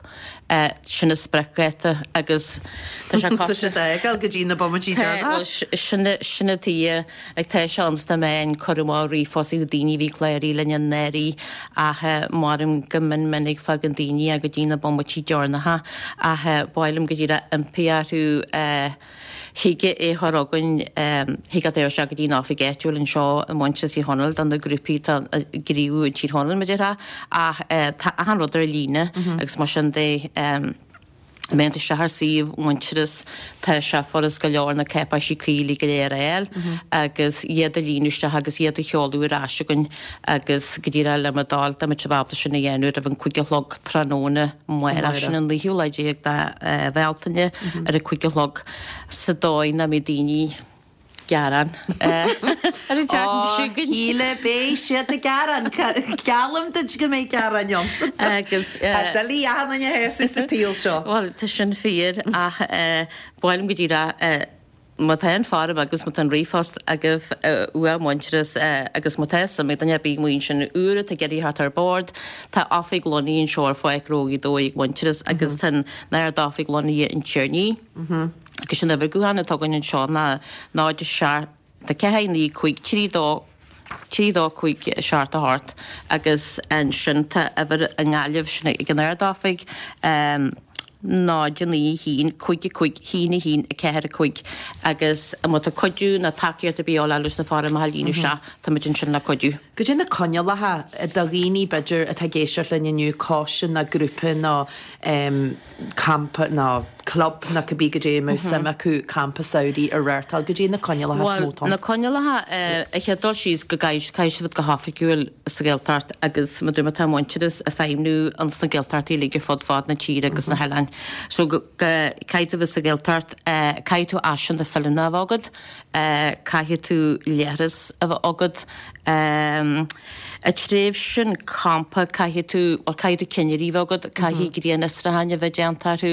sin an spriocdháta agus tá sé Tá sé ag dul go dtí na bomaití deireanacha. Sin sin an tuige ag tá sé ins na meáin cuireadh amach ríomhphost ag na daoine a bhí cláraithe linn anuraidh ach maram go mion minic faigheann daoine go dtí na bomaití deireanacha ach ba mhaith liom go díreach impí orthu Thig é a chur chugainn, thig leat é a chur isteach go dtí an oifig áitiúil anseo i Muintearas Thír Chonaill do na grúpaí atá ag gníomhú i dTír Chonaill, mar a déarfá, ach tá achan rud ar líne agus mar sin de, má théann tú isteach ar suíomh Mhuintearas, tá sé furast go leor na cáipéisí cuí uilig go léir a fháil agus iad a líonadh isteach agus iad a sheoladh ar ais chugainn agus go díreach le mo thoil, dá mbeadh sibh ábalta sin a dhéanamh roimh an cúig a chlog tráthnóna amárach, sin an naoú lá déag de Bhealtaine ar a cúig a chlog sa dóigh nach mbeidh daoine ag gearán ar an tseachtain seo chugainn. Shíle, beidh siad ag gearán. Geallaim duit go mbeidh gearáin ann. Agus. Tá doiligh achan duine a shásamh sa tsaol seo. Bhuel, tá sin fíor ach ba mhaith liom go díreach Má tá an foirm agus má tá an ríomhphost agaibh uaidh Muintearas agus má tá suim ag duine ar bith amuigh ansin úr atá ag iarraidh theacht ar bord, tá oifig lonnaithe anseo ar Pháirc Ghnó Ghaoth Dobhair ag Muintearas agus tá an Ard-Oifig lonnaithe in Tír an Fhia. Agus an uimhir gutháin atá againn anseo ná náid seacht ceathair naoi cúig trí dó trí dó cúig seacht a hocht agus ansin tá uimhir i nGaillimh, sin ag an Ard-Oifig, náid a naoi a haon cúig a cúig haon a haon a ceathair a cúig agus má tá cuidiú nó tacaíocht ar bith a dhíobháil leis na foirmeacha a líonadh isteach, táimid ansin le cuidiú. Goidé na coinníollacha do dhaoine b'fhéidir atá ag éisteacht linn inniu, coiste nó grúpa nó campa nó club nó cibé goidé a mbeadh suim acu campa samhraidh a reáchtáil, goidé na coinníollacha is mó Bhuel, atá ann? na coinníollacha, an chéad dul síos go gcaithfidh caithfidh siad a bheith go hoifigiúil sa Ghaeltacht agus mar a dúirt mé tá Muintearas ag feidhmniú ins na Gaeltachtaí uilig ar fud fad na tíre agus na hoileáin. So go caithfidh tú bheith sa Ghaeltacht, caithfidh tú áiseanna feiliúnacha a bheith agat, caithfidh tú leithreas a bheith agat, I dtréimhse an champa caithfidh tú, bhuel caithfidh tú cinnirí a bheith agat, caithfidh grianfhiosrúcháin a bheith déanta orthu,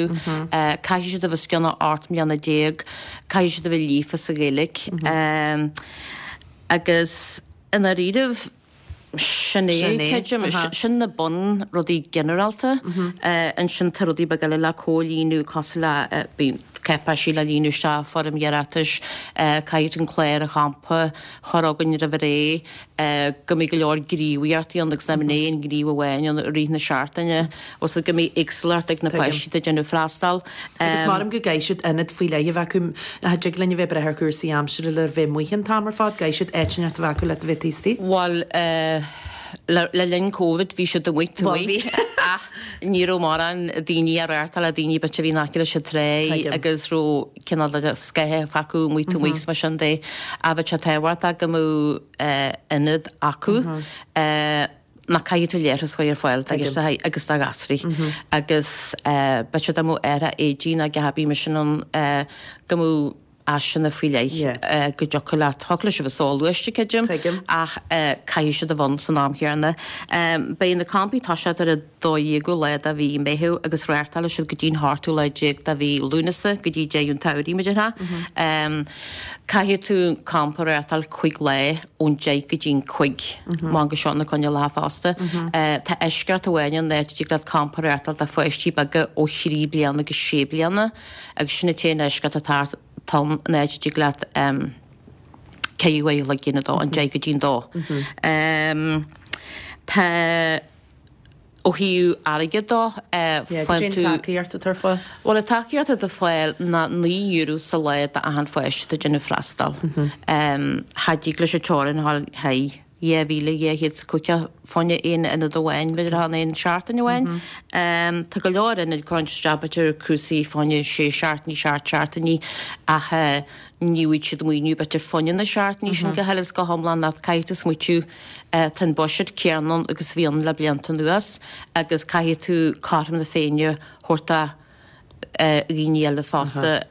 caithfidh siad a bheith os cionn ocht mbliana déag, caithfidh siad a bheith líofa sa Ghaeilge. Agus i ndáiríribh, sin é, creidim, sin na bun rudaí ginearálta. Ansin tá rudaí beaga eile le comhlíonadh cosúil le, bíonn cáipéisí le líonadh isteach, foirm iarratais, caithfidh tú an clár an champa a chur chugainn roimh ré, go mbeidh go leor gníomhaíochtaí ann agus nach mbeidh aon ghníomh amháin ann i rith na seachtaine, agus go mbeidh éagsúlacht ag na páistí atá ag déanamh freastal. Agus maram go gcaithfidh siad ionad faoi leith a bheith acu, nach dtig linn a bheith ag brath ar chúrsaí aimsire le bheith amuigh an t-am ar fad, gcaithfidh siad áit inteacht a bheith acu le a bheith taobh istigh. Bhuel, le le linn Covid bhí siad amuigh taobh Bhuel, bhí. ach ní raibh mórán daoine á reáchtáil, daoine b'fhéidir a bhí in aice leis an tráigh Tuigim. agus raibh cineál de scáth acu amuigh taobh amuigh agus mar sin de. Ach bheadh sé tábhachtach go mbeadh ionad acu. Ná caithfidh tú leithreas a chur ar fáil do ghirseachaí agus do ghasraí agus b'fhéidir dá mbeadh árthach éadaí nó a dhath ar bith mar sin ann go mbeadh áiseanna faoi leith go dtiocfadh leat, thiocfadh leis a bheith soghluaiste, creidim, ach caithfidh siad a bheith ann san am chéanna. Beidh na campaí ag toiseacht ar an dó dhéagú lá de mhí Meitheamh agus reáchtálfaidh siad go dtí an hochtú lá déag de mhí Lúnasa go dtí deireadh an tsamhraidh, mar a déarfá. Caithfidh tú campa a reáchtáil cúig lá ón deich go dtí an cúig, mar go seo na coinníollacha fosta. Tá eisceacht amháin ann, áit a dtig leat campa a reáchtáil do pháistí beaga ó thrí bliana go sé bliana agus sin an t-aon eisceacht atá ann, an áit a dtig leat ceithre uair a chloig a dhéanamh dó, ón deich go dtí an dó. Tá. Ó thaobh airgid dó, faigheann tú. Tacaíocht atá ar fáil? Bhuel, an tacaíocht atá ar fáil ná naoi euro sa lá d'achan pháiste atá ag déanamh freastal. Cha dtig leis an teorainn a ghabháil thar dhá mhíle dhá chéad is caoga fá choinne aon ionad amháin, b'fhéidir fá choinne aon seachtain amháin. Tá go leor ionaid cuireann isteach b'fhéidir cúrsaí fá choinne sé seachtainí, seacht seachtainí ach ní bhfaighidh siad maoiniú b'fhéidir fá choinne na seachtainí sin go huile is go hiomlán ach caithfidh tú smaoitiú tá an buiséad céanna ann agus a bhí ann le blianta anuas agus caithfidh tú cothrom na Féinne a thabhairt do dhaoine eile fosta.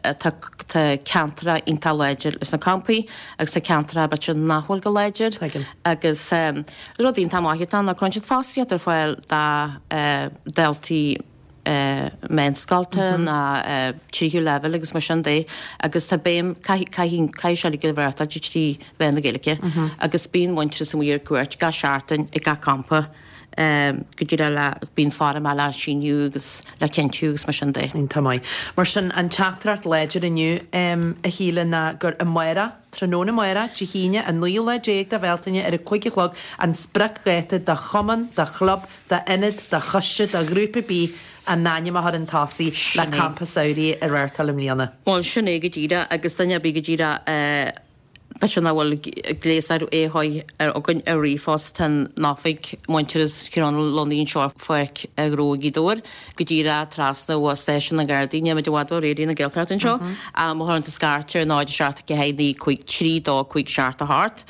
Tá ceantracha iontach láidir leis na campaí agus tá ceantracha b'fhéidir nach bhfuil go láidir agus rud iontach maith atá ann ná cuireann siad fostaíocht ar fáil do dhaltaí meánscoilte ná tríú leibhéal agus mar sin de agus tá béim, caithfidh, caithfidh sé uilig a bheith trí mheán na Gaeilge agus bíonn Muintearas amuigh ar cuairt gach seachtain ag gach campa. go díreach le, bíonn foirm le síniú agus le cinntiú agus mar sin de. Iontach maith. Mar sin, an teachtaireacht láidir inniu, a Shíle, ná gur amárach, tráthnóna amárach, Dé hAoine, an naoú lá déag de Bhealtaine ar a cúig a chlog, an spriocdháta do chumann, do chlub, d'ionad, do choiste, do ghrúpa ar bith a n-ainm a chur chun tosaigh le campa samhraidh a reáchtáil i mbliana. Bhuel, sin é go díreach agus duine ar bith go díreach, B'fhéidir nach bhfuil gléas ar é ar againn ar ríomhphost, tá an oifig Muintearas Thír Chonaill lonnaithe anseo ar Pháirc an Ghnó i Gaoth Dobhair, go díreach trasna ó Stáisiún na nGardaí, níl muid i bhfad ó Raidió na Gaeltachta anseo. Má chuireann tú scairt ar náid seacht ceathair naoi cúig trí dó cúig seacht a hocht,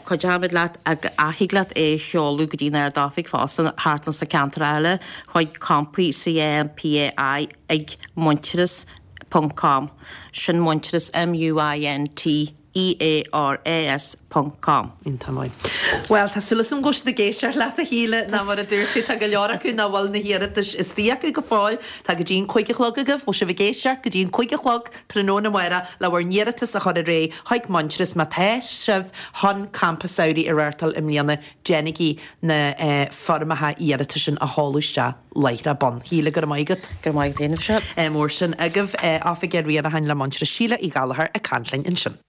cuideoimid leat ach thig leat é a sheoladh go dtí an Ard-Oifig fosta thart ins na ceantair eile chuig campaí C A M P A I ag Muintearas ponc com. Sin Muintearas, M U I N T E A R A S ponc com. Iontach maith. Bhuel, tá súil agam go bhfuil siad ag éisteacht leat, a Shíle, ná mar a dúirt tú, tá go leor acu nach bhfuil na hiarratais istigh acu go fóill. Tá go dtí an cúig a chlog agaibh. Bhfuil sibh ag éisteacht go dtí an cúig a chlog tráthnóna amárach le bhur n-iarratas a chur ar aghaidh chuig Muintearas má tá sibh chun campa samhraidh a reáchtáil i mbliana, déanaigí na foirmeacha iarratais sin a sheoladh isteach láithreach bonn. Shíle, go raibh maith agat. Go raibh maith agat féin, a Mhichelle. Mór sin agaibh. Oifigeach Riaracháin le Muintearas Síle Uí Ghallchóir ag caint linn ansin.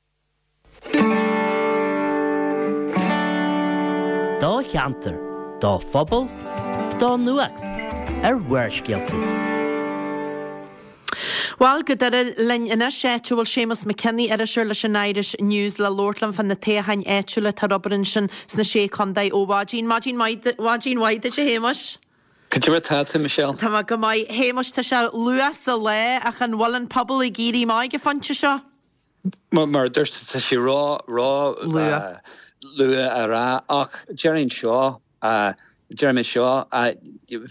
Do cheantar, do phobal, do nuacht ar Bharrscéalta. Bhuel, go Doire linn anois, áit a bhfuil Séamus McKinney, iriseoir leis an Irish News, le labhairt linn fá na toghcháin áitiúla atá ar obair ansin sna Sé Chontae ó mhaidin. Maidin mhaith, maidin mhaith duit, a Shéamuis. Cad é mar atá tú, Michelle? Tá mé go maith. Shéamuis, tá sé luath sa lá, ach an bhfuil an pobal ag éirí amach ag an phointe seo? Mar a dúirt tú, tá sé ró, ró luath luath a rá, ach déarfainn seo, déarfaidh mé seo,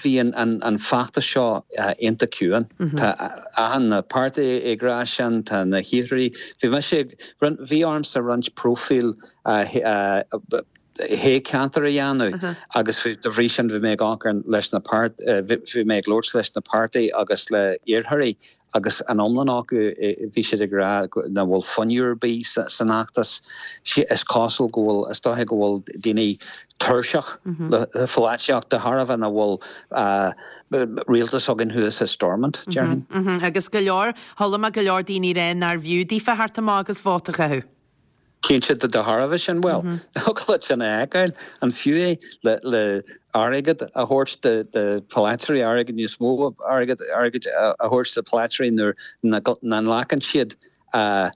bhí an, an, an feachtas seo iontach ciúin. Tá achan páirtí ag rá sin, tá na hiarrthóirí, bhí mise, bhí ormsa roinnt próifíl shé ceantar a dhéanamh agus de bhrí sin bhí mé ag amharc leis na páirt, bhí mé ag labhairt leis na páirtí agus le iarrthóirí agus an iomlán acu bhí siad ag rá nach bhfuil fuinneamh ar bith san fheachtas. Is cosúil go bhfuil, is dóiche go bhfuil daoine tuirseach le polaitíocht de thairbhe nach bhfuil rialtas againn thuas i Stormont, déarfainn. Agus go leor, chuala mé go leor daoine ag rá nárbh fhiú daofa theacht amach agus vóta a chaitheamh. Cinnte, de thairbhe sin, bhuel, thiocfadh leat sin a fheiceáil, an fiú é le airgead a thabhairt do pholaiteoirí, airgead níos mó airgead a thabhairt do pholaiteoirí nuair nach nglacann siad a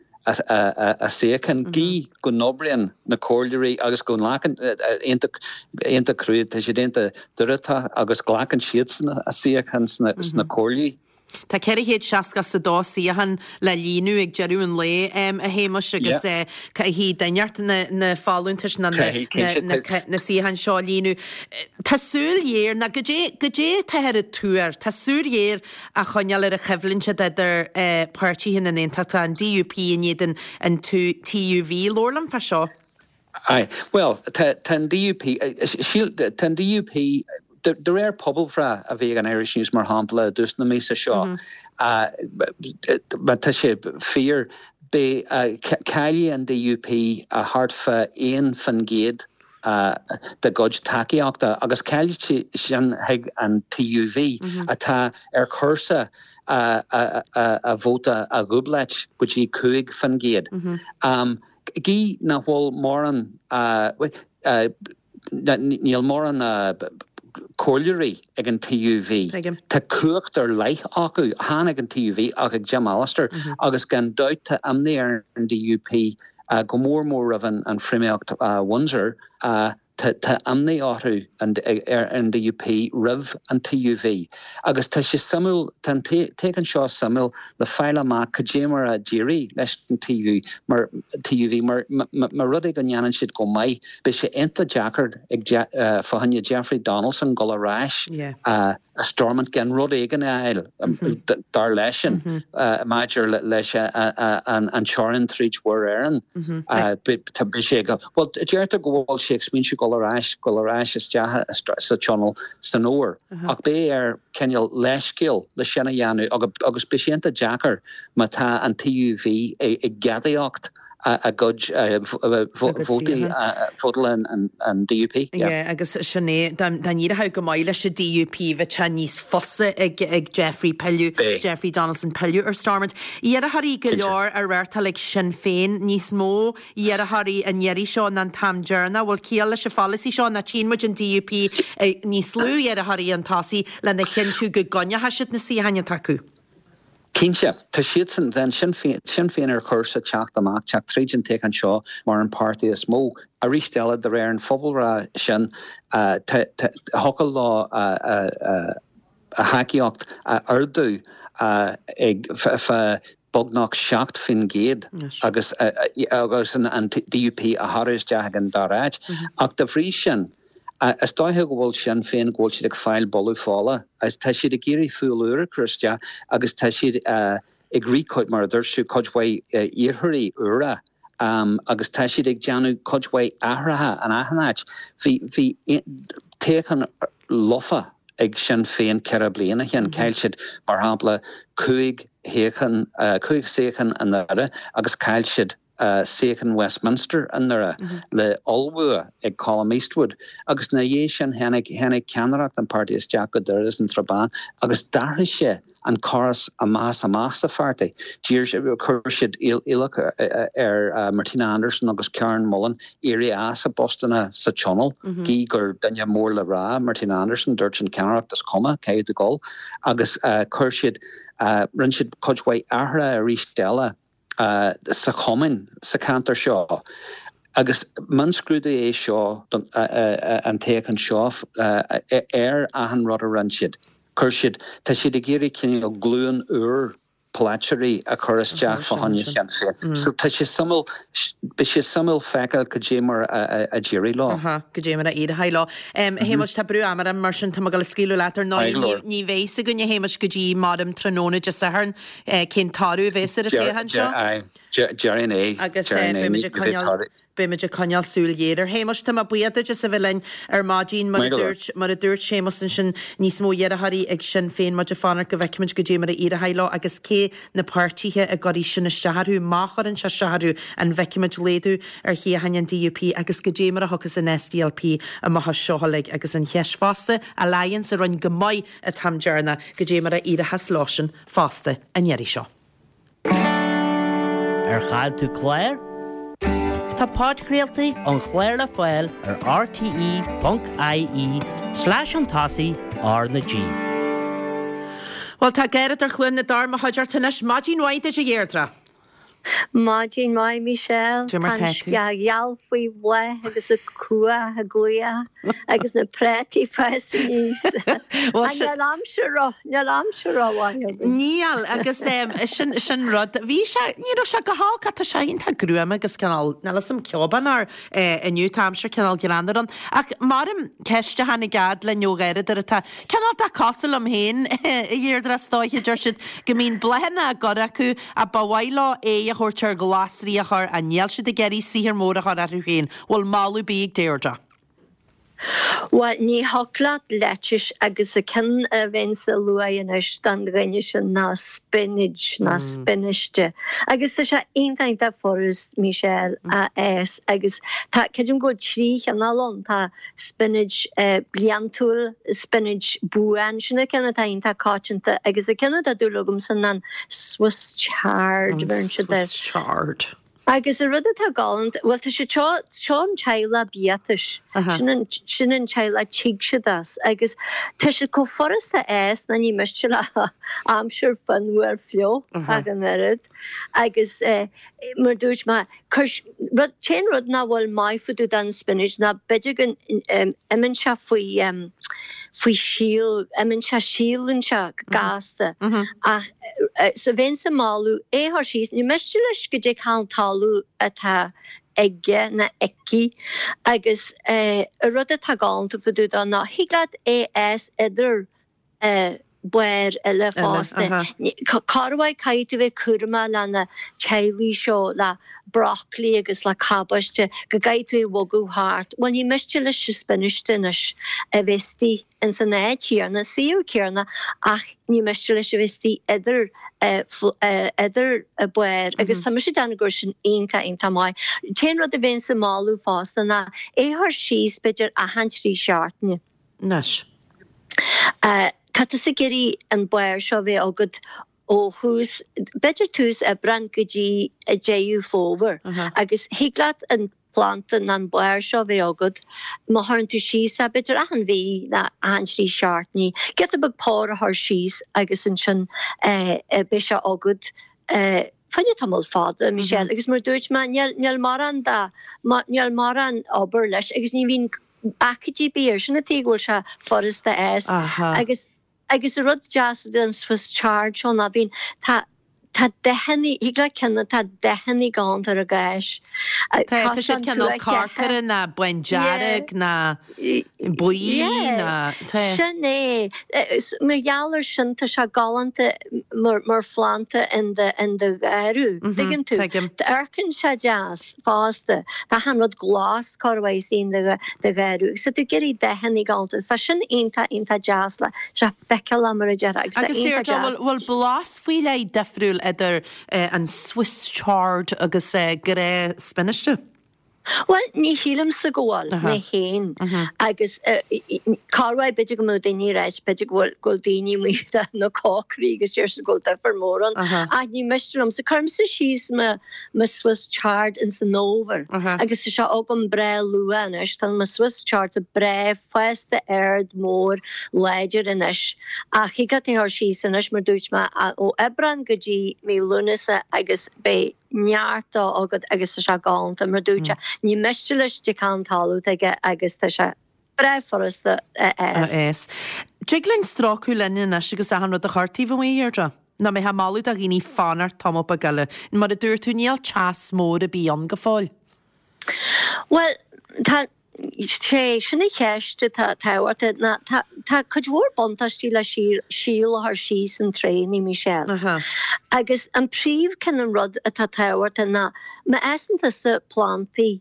suíochán, gí go n-oibríonn na comhairleoirí agus go nglacann, iontach crua, tá siad iontach dúthrachtach agus glacann siadsan a suíochán sna comhairlí. Tá ceithre chéad seasca is a dó suíochán le líonadh ag deireadh an lae, a Shéamuis, agus caithfidh duine inteacht na folúntais nó na suíocháin seo a líonadh. Tá súil ghéar, nó goidé goidé atáthar ag tuar? Tá súil ghéar á choinneáil ar an choimhlint atá idir páirtithe na nAontachtach, an D U P in éadan an T U V. Labhair liom fá seo. Aye. Bhuel, tá an D U P, síl, tá an D U P, de réir pobalbhreith a bhí ag an Irish News mar shampla i dtús na míosa seo, má tá sé fíor, beidh, caillfidh an D U P thart fá aon faoin gcéad dá gcuid tacaíochta agus caillfidh sin chuig an T U V atá ar chúrsa a vóta a dhúbláilt go dtí cúig faoin gcéad. Gí nach bhfuil mórán, níl mórán comhairleoirí ag an TUV. Tá cumhacht ar leith acu, chan ag an TUV ach ag Jim Allister mm -hmm. agus gan dabht tá imní ar an DUP uh, go mór mór roimh an, an phríomhaimeacht uh, Windsor uh, tá imní orthu ar an DUP roimh an TUV. Agus tá sé suimiúil toghchán seo suimiúil le fáil amach cad é mar a d'éirigh leis an TUV mar TUV mar mar rud go ndéanann siad go maith beidh sé iontach deacair ag fá choinne Jeffrey Donaldson dul ar ais a Stormont gan rud éigin a fháil mhm. dar leisean mhm. maidir leis an teorainn tríd Mhuir Éireann mhm. tá bí sé go. Well deirtear go bhfuil sé ag smaoineamh dul ar ais dul ar ais isteach sa tionól san fhómhar. Ach beidh air cineál leithscéal le sin a dhéanamh agus beidh sé iontach deacair má tá an TUV ag gadaíocht a gcuid vótaí vótáil an DUP. Agus sin é dá n-éireodh go maith leis an DUP bheadh sé níos fusa ag ag Jeffrey pilleadh Jeffrey Donaldson pilleadh ar Stormont. Iarrthóirí go leor á reáchtáil ag Sinn Féin níos mó iarrthóirí an iarraidh seo ná an t-am deireanach, bhfuil ciall leis an pholasaí seo ná tchíonn muid an DUP níos lú iarrthóirí chun tosaigh lena chinntiú go gcoinneoidh siad na suíocháin atá acu. Cinnte, tá siadsan then Sinn Féin, Sinn Féin ar chúrsa teacht amach, teacht tríd an toghchán seo mar an páirtí is mó. Arís eile, de réir an phobalbhreith sin, thiocfadh leo a thacaíocht a ardú ag fá beagnach seacht faoin gcéad agus agus an DUP a shárú isteach ag an dara háit. Ach de bhrí sin, Is dóiche go bhfuil Sinn Féin go bhfuil siad ag fáil buladh fola agus tá siad ag iarraidh fual úr a chur isteach agus tá siad ag rith cuid, mar a dúirt tú, cuid mhaith iarrthóirí úra agus tá siad ag déanamh cuid mhaith athruithe in achan áit. Bhí, bhí toghchán lofa ag Sinn Féin ceithre bliana ó shin. Chaill siad, mar shampla, cúig shuíochán, cúig suíochán i nDoire agus chaill siad suíochán Westminster i nDoire le ollbhua ag Colum Eastwood agus ina dhiaidh sin tháinig tháinig ceannaireacht an pháirtí isteach go Doire is an Srath Bán agus d'athraigh sé an córas amach is amach sa pháirtí. D'iarr sé chuir siad iallach ar Martina Anderson agus Karen Mullen éirí as a bpostanna sa Tionól gí gur duine mór le rá Martina Anderson dúirt an ceannaireacht is cuma caithfidh tú dul agus chuir siad rinne siad cuid mhaith athruithe arís eile sa chumann sa cheantar seo agus mionscrúdú é seo don an toghchán seo ar achan rud a rinne siad. Chuir siad, tá siad ag iarraidh cineál glúin úr polaiteoirí a chur isteach fá choinne Shinn Féin. So tá sé suimiúil, beidh sé suimiúil feiceáil cad é mar a d'éirigh leo. Aha, cad é mar a éireoidh leo. A Shéamais, tá brú ama orm mar sin tá mé ag dul a scaoileadh leat ar ndóigh. Ní bheidh fhios againn a Shéamais go dtí maidin tráthnóna Dé Sathairn cén toradh a bheas ar an toghchán seo. Déarfainn é. Agus beimid ag coinneáil beimid ag coinneáil súil ghéar air. Shéamais, tá mé buíoch duit as a bheith linn ar maidin. Mar a dúirt mar a dúirt Séamus ansin níos mó iarrthóirí ag Sinn Féin muid ag fanacht go bhfeicfimid cad é mar a éireoidh leo agus cé na páirtithe a gcuirfidh sin isteach orthu, má chuireann sé isteach orthu, an bhfeicfimid laghdú ar shuíocháin an DUP agus cad é mar a thiocfas an SDLP amach as seo uilig agus an cheist fosta, Alliance a rinne go maith an t-am deireanach, cad é mar a éireochas leosan fosta an iarraidh seo. Ar chaill tú clár? Tá podchraoltaí an chláir le fáil ar rte ponc ie slash chun tosaigh R na G. Bhuel, tá Deirdre Chluain na dTor i mo chuideachta anois. Maidin mhaith duit a Dheirdre. Maidin mhaith Michelle. Cad é mar Tá tá tú? an ghealach faoi bhláth agus an cuach ag glaoch agus na prátaí fásta aníos. Bhuel, Ach sin- níl aimsir ró, níl aimsir rómhaith againn. Níl, agus em, sin, sin rud. Bhí sé, ní raibh sé go holc, ach tá sé iontach gruama agus cineál, níl fhios a'm ceobán air eh, inniu, tá aimsir cineál greannmhar ann. Ach maram ceist a tháinig fhad linn ó Dheirdre atá cineál de cosúil liom féin, a Dheirdre, is dóiche, deir siad go mbíonn bláthanna á gcur acu ach ba mhaith leo aghaidh a thabhairt ar ghlasraí a chur ach níl siad ag iarraidh saothar mór a chur orthu féin. Bhfuil moladh ar bith ag Deirdre? Bhuel, ní thiocfadh leat lettuce agus an ceann a bheinnse a lua anois don dhuine sin ná spinach ná spináiste. Agus tá sé iontach iontach furast, Michelle, a fhás agus tá, creidim go bhfuil trí chineál ann, tá spinach bliantúil, spinach buan, sin an ceann atá iontach coitianta agus an ceann atá dúil agamsa ná an Swiss chard, An bheireann siad air. Swiss chard. Agus an rud atá galánta, bhuel tá siad seo, seo an teaghlach biatais, sin an, sin an teaghlach tig siad as agus tá siad chomh furasta a fhás ná ní miste le aimsir fionnuar fliuch ach an oiread. Agus mar dúirt mé, cuir, rud, t-aon rud nach bhfuil maith fá dtaobh den spinach ná b'fhéidir go n-imíonn sé faoi, faoi síol, imíonn sé, síolann sé go gasta. Ach so bheinnse ag moladh é a chur síos, ní miste leis goidé cén talamh atá aige nó aici agus an rud atá galánta fá dtaobh dó ná thig leat é a fhás idir barr eile fosta. Corruair caithfidh tú bheith cúramach le na teaghlaigh seo le broccoli agus le cabáiste go gcaithfidh tú é a bhogadh thart. Bhuel ní miste leis an spionaiste anois a bheith istigh ins an áit chéanna, suíomh céanna ach ní miste leis a bheith istigh idir idir barr agus tá mise ag déanamh gur sin iontach iontach maith. T-aon rud a bheinnse ag moladh fosta ná é a chur síos b'fhéidir achan trí seachtaine. Anois. Tá tusa ag iarraidh an barr seo a bheith agat ó thús, b'fhéidir tús Aibreán go dtí Deireadh Fómhair agus thig leat an planda nó an barr seo a bheith agat má chuireann tú síos é b'fhéidir achan mhí nó achan trí seachtainí, giota beag pár a chur síos agus ansin beidh sé agat fá choinne tamall fada, Michelle, agus mar a dúirt mé níl mórán de, níl mórán obair leis agus ní bhíonn aicíd ar bith air, sin an tuige go bhfuil sé furasta a fhás. Agus agus an rud deas den Swiss chard seo ná bíonn, tá, tá dathanna, thig leat ceann atá dathanna galánta ar an gcáis. Tá, tá siad cineál corcra ná bándearg ná buí ná, tá. Sin é. Mar gheall ar sin tá sé galánta mar, mar phlanda in do, in do gharradh. Tuigeann tú? Tuigim. Amharcann sé deas fosta. Tá achan rud glas corruair istigh in do gharradh agus tá tú ag iarraidh dathanna galánta. Tá sin iontach, iontach deas le, tá sé feiceálach mar a déarfá agus tá Agus iontach Deirdre, deas. bhfuil, bhfuil blas faoi leith difriúil idir an Swiss chard agus gnáth-spionaiste? Bhuel, ní shílimse go bhfuil, mé féin. Agus corruair b'fhéidir go mbeadh daoine ag ráit, b'fhéidir go bhfuil, go bhfuil daoine amuigh de na cócairí agus deir siad go bhfuil difear mór ann. Ach ní miste liomsa. Cuirimse síos mo, mo Swiss chard ins an fhómhar agus tá sé agam breá luath anois. Tá mo Swiss chard breá fásta ard mór láidir anois. Ach thig leat é a chur síos anois, mar dúirt mé, ó Aibreán go dtí mí Lúnasa agus beidh neart dó agat agus tá sé galánta, mar dúirt sé, ní miste leis goidé cén talamh atá aige agus tá sé breá furasta a fhás. A fhás. Tig linn strócadh linn anois agus achan rud a chur taobh amuigh, a Dheirdre? Nó mbeifeá ag moladh do dhaoine fanacht tamall beag eile? Mar a dúirt tú, níl teas mór ar bith ann go fóill. Bhuel, tá, sé, sin an cheist atá tábhachtach ná tá, tá cuid mhór buntáistí le síol, síol a chur síos in tréannaí, Michelle. Agus an príomh cineál rud atá tábhachtach ná má fhásann tusa plantaí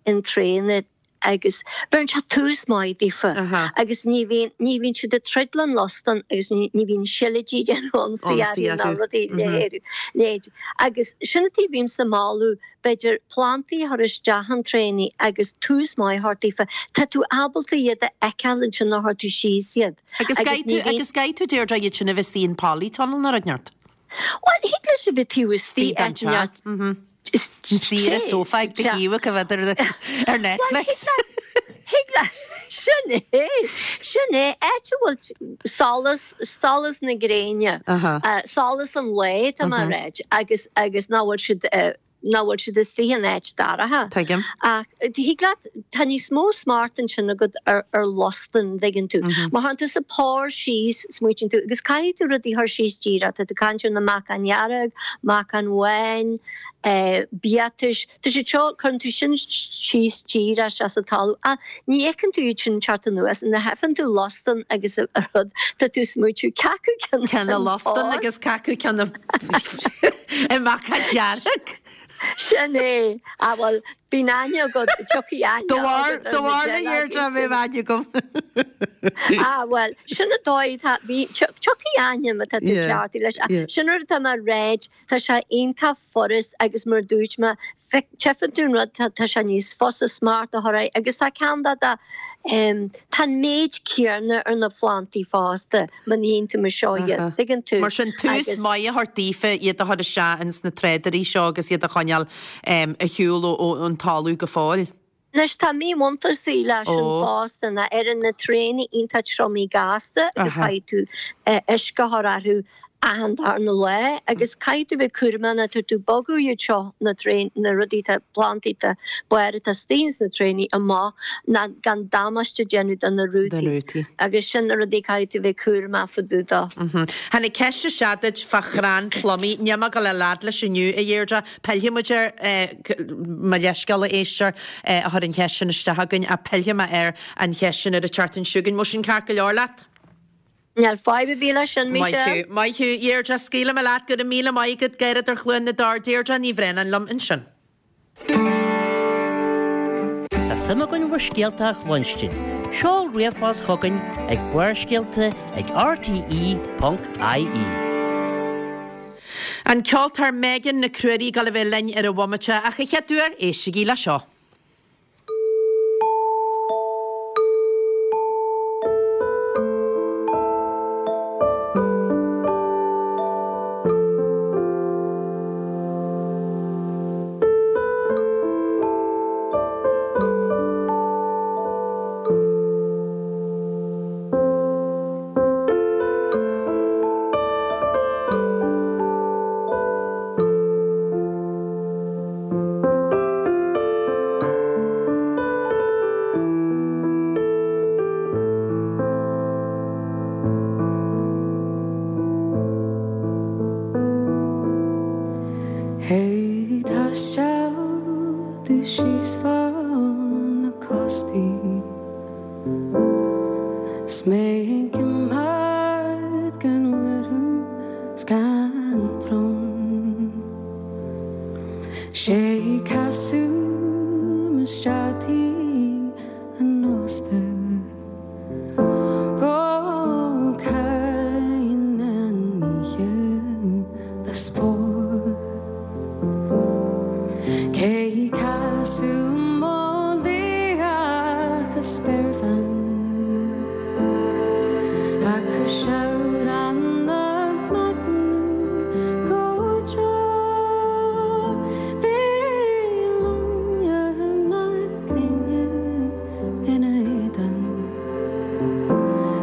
in tréanna agus beireann sé tús maith daofa agus ní bhíonn, ní bhíonn siad ag troid le an lostan agus ní, ní bhíonn seilidí ag déanamh ionsaí orthu ná rudaí leithéid. Agus sin an tuige a bhímse ag moladh b'fhéidir plantaí a chur isteach in tréannaí agus tús maith a thabhairt daofa. Tá tú ábalta iad a fheiceáil ansin nuair a chuir tú síos iad. Agus Agus ní bhíonn. agus caithfidh tú Deirdre iad sin a bheith istigh in polytunnel nó rud inteacht? Bhuel, thig leis a bheith taobh istigh Istigh den teach. Istigh ar an sófá ag do thaobh ag a bheith ar Netflix. Thig leat, sin é, sin é, áit a bhfuil solas, solas na gréine, solas an lae, tá mé a ráit, agus, agus nach bhfuil siad, nach bhfuil siad istigh in áit dorcha. Tuigim. Ach thig leat, tá níos mó smacht ansin agat ar, ar lostan, dtuigeann tú. Má chuireann tusa pár síos, smaoitíonn tú, agus caithfidh tú rudaí a chur síos díreach, tá tú ag caint ar na meacáin dhearg, meacáin bháin, biatais, tá siad seo, cuireann tú sin síos díreach isteach sa talamh ach ní fheiceann tú iad sin teacht anuas, nuair a fheiceann tú lostan agus an rud, tá tú ag smaoitiú cé acu ceann Ceann na lostan agus cé acu ceann na meacáin dhearg. Sin é. Ah bhuel, bíonn aithne agat, tiocfaidh aithne Do bharr agat ar do na bharr na deilg Deirdre, sin. bheadh aithne agam. Ah bhuel, sin an dóigh atá, bhí, tiocfaidh ainm atá tú cleachtaithe leis, ach sin rud atá mé a ráit, tá sé iontach furast agus mar dúirt mé, tchífeann tú an rud, tá sé níos fusa smacht a chur air agus tá ceann de de, tá an méid céanna ar na plantaí fosta má níonn tú mar seo iad, tuigeann tú. Mar sin tús maith a thabhairt daofa iad a chur isteach ins na tráidirí seo agus iad a choinneáil ar shiúl ón talamh go fóill. Anois tá míbhuntáistí leis sin fosta ná éiríonn na traenaí iontach triomaithe gasta agus caithfidh tú uisce a chur orthu achan darna lá agus caithfidh tú bheith cúramach nuair atá tú ag bogadh iad seo na traen na rudaí atá plantaí atá barr atá istigh ins na traenaí amach ná gan damáiste a dhéanamh do na rútaí agus sin na rudaí caithfidh tú bheith cúramach fá dtaobh dó. Tháinig ceist isteach duit fá chrann plumaí, níl mé ag dul a lead leis inniu a Dheirdre, Pillfidh muid air, mo leithscéal a éisteoir a chuir an cheist sin isteach chugainn, ach pillfidh mé ar an cheist sin ar an tseachtain seo chugainn. Bhfuil sin ceart go leor leat? Níl fadhb ar bith leis sin, Maith Michelle. thú, maith thú. Deirdre, scaoilfidh mé leat, go raibh míle maith agat, gairid ar Chluain na dTor, Deirdre Ní Bhraonáin liom ansin. Tá suim againn bhur scéalta a chluinstin. Seol ríomhphost chugainn ag Barrscéalta ag rte ponc ie. An ceoltóir Megan Nic Ruairí ag dul a bheith linn ar an bhomaite, ach a chéaduair, éistigí le seo. Ag taisteal domh síos fá na cóstaí 's mé ag coimeád gan urú 's gan brón 'Sé casadh mo steataí an ósta Go caitheann an oíche le spórt Cé casadh mo liath spéirbhean Acu seabhrán na meacnú go deo Bhí loinnir na gréine ina éadan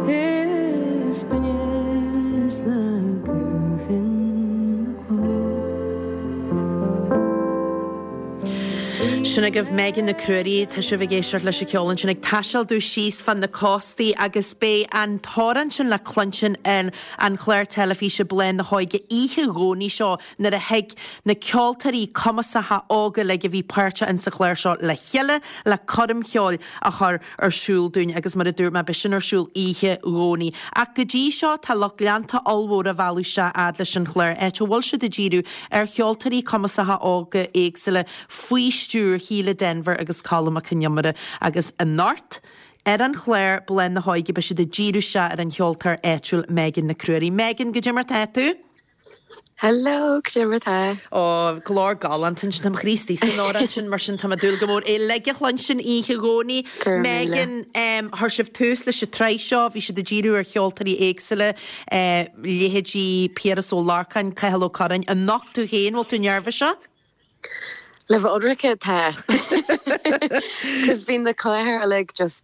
Is binneas na guthanna cló. Sin agaibh Megan Nic Ruairí, tá sibh ag éisteacht leis an cheol ansin ag taisteal domh síos fá na cóstaí agus beidh an t-amhrán sin le cluinstin ar an chlár teilifíse Bláth na hÓige oíche Dhomhnaigh seo nuair a thig na ceoltóirí cumasacha óga uilig a bhí páirteach in sa chlár seo le chéile le coirm cheoil a chur ar siúl dúinn agus mar a dúirt mé beidh sin ar siúl oíche Dhomhnaigh. Ach go dtí seo tá lucht leanta ollmhór á mhealladh isteach fhad leis an chlár áit a bhfuil siad ag díriú ar cheoltóirí cumasacha óga éagsúla faoi stiúir Shíle Denvir agus Colm Mac Con Iomaire agus anocht ar an chlár Bláth na hÓige beidh siad ag díriú isteach ar an cheoltóir áitiúil Megan Nic Ruairí. Megan, goidé mar tá tú? Hello, goidé mar tá? Ó, glór galánta ansin, tá mo chroí istigh san amhrán sin, mar sin tá mé ag dúil go mór é uilig a chluinstin oíche Dhomhnaigh. Go raibh míle. Megan, em, chuir sibh tús leis an tsraith seo, bhí siad ag díriú ar cheoltóirí éagsúla, eh, leithéidí Piaras Ó Lorcáin, Cathal Ó Curráin, anocht tú féin, bhfuil tú neirbhíseach? Le bheith ionraice, tá. Cos bhí na cláir uilig just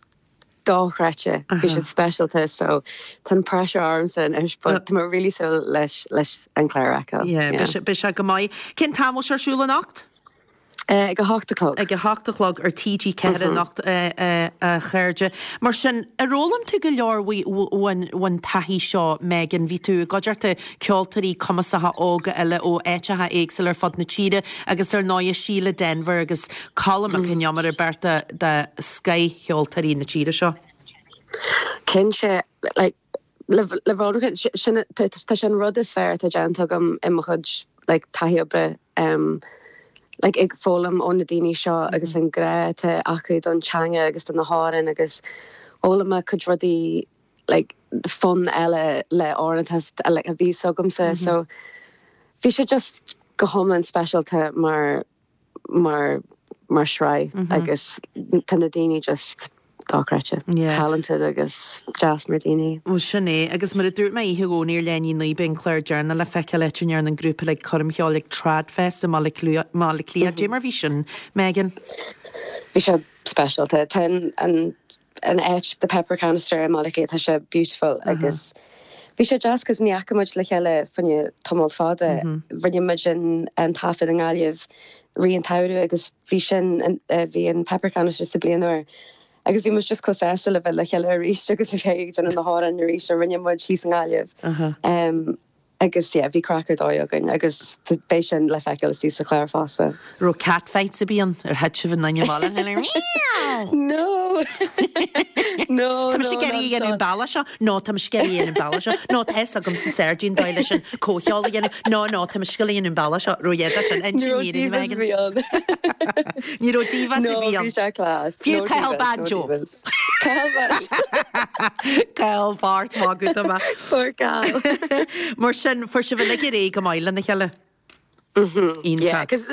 dochreidte. Bhí siad speisialta so tá an pressure ormsa anois but tá mé really súil leis leis an clár a fheiceáil. Yeah, beidh sé beidh sé go maith. Cén t-am bhfuil sé ar siúl anocht? Ag a hocht a chlog. Ag a hocht a chlog ar TG ceathair anocht a chairde. Mar sin, ar fhoghlaim tú go leor ón taithí seo, Megan? Bhí tú i gcuideachta ceoltóirí cumasacha óga eile ó áiteacha éagsúla ar fud na tíre agus ar ndóigh Síle Denvir agus Colm Mac Con Iomaire, beirt de scothcheoltóirí na tíre seo. Cinnte, like, le le bheith ionraic, sin tá sé an rud is fearr atá déanta agam i mo chuid like taithí oibre. Um, like ag foghlaim ó na daoine seo agus an grá atá acu don teanga agus do na hamhráin agus D'fhoghlaim mé cuid rudaí like fun eile le amhráin like a bhí agamsa so bhí sé just go hiomlán speisialta mar mar mar shraith agus tá na daoine just dochreidte talented agus deas mar daoine. Ó sin é agus mar a dúirt mé oíche Dhomhnaigh ar leath i ndiaidh a naoi beidh an clár deireanach le feiceáil áit a ndearna an grúpa uilig coirm cheoil ag Tradfest i mBaile Átha Cliath. Dé mar bhí sin, Megan? Bhí sé speisialta. Tá an an an áit the Pepper Canister i mBaile Átha Cliath tá sé beautiful agus bhí sé deas cos ní fhaca muid le chéile fá choinne tamall fada. Rinne muid an an taifead i nGaillimh rith an tsamhraidh agus bhí sin bhí an Pepper Canister sa bliain úr. Agus bhí muid just chomh sásta le bheith le chéile arís agus a bheith ag déanamh na hamhráin arís a rinne muid thíos i nGaillimh. Um, agus yeah, bhí craic ar dóigh againn agus beidh sin le feiceáil istigh sa chlár fosta. Raibh cat fights a bíonn ar thit sibh in aine No! No, Tá sé gerí an balla seo? No tá scéirí an balla seo? No tá agam sa seirdín dóigh leis an comhcheol a dhéanamh. No no tá scil an balla seo ro dhéada sin engineering Megan. Ní raibh divas a bhí ann. sé class. Fiú Cathal Banjo. Cathal Bart má Poor gal. Mar sin fuair sibh uilig ar éig go maith lena chéile. Yeah, cos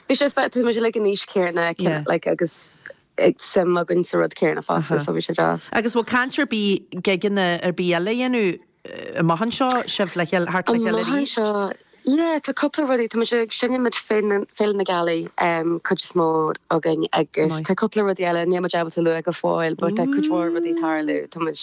bhí sé tá muid like an aois céanna like agus ag suim againn sa rud céanna fosta so bhí sé deas. Agus bhfuil caint ar bith gigeanna ar bith eile a dhéanamh amach anseo sibh le chéile thart le chéile arís? Yeah, tá cúpla rudaí tá muid ag seinm Féile Féile na Gealaí um, cuid is mó againn agus tá cúpla rudaí eile níl muid ábalta lua go fóill, but tá cuid mhór rudaí tarlú tá muid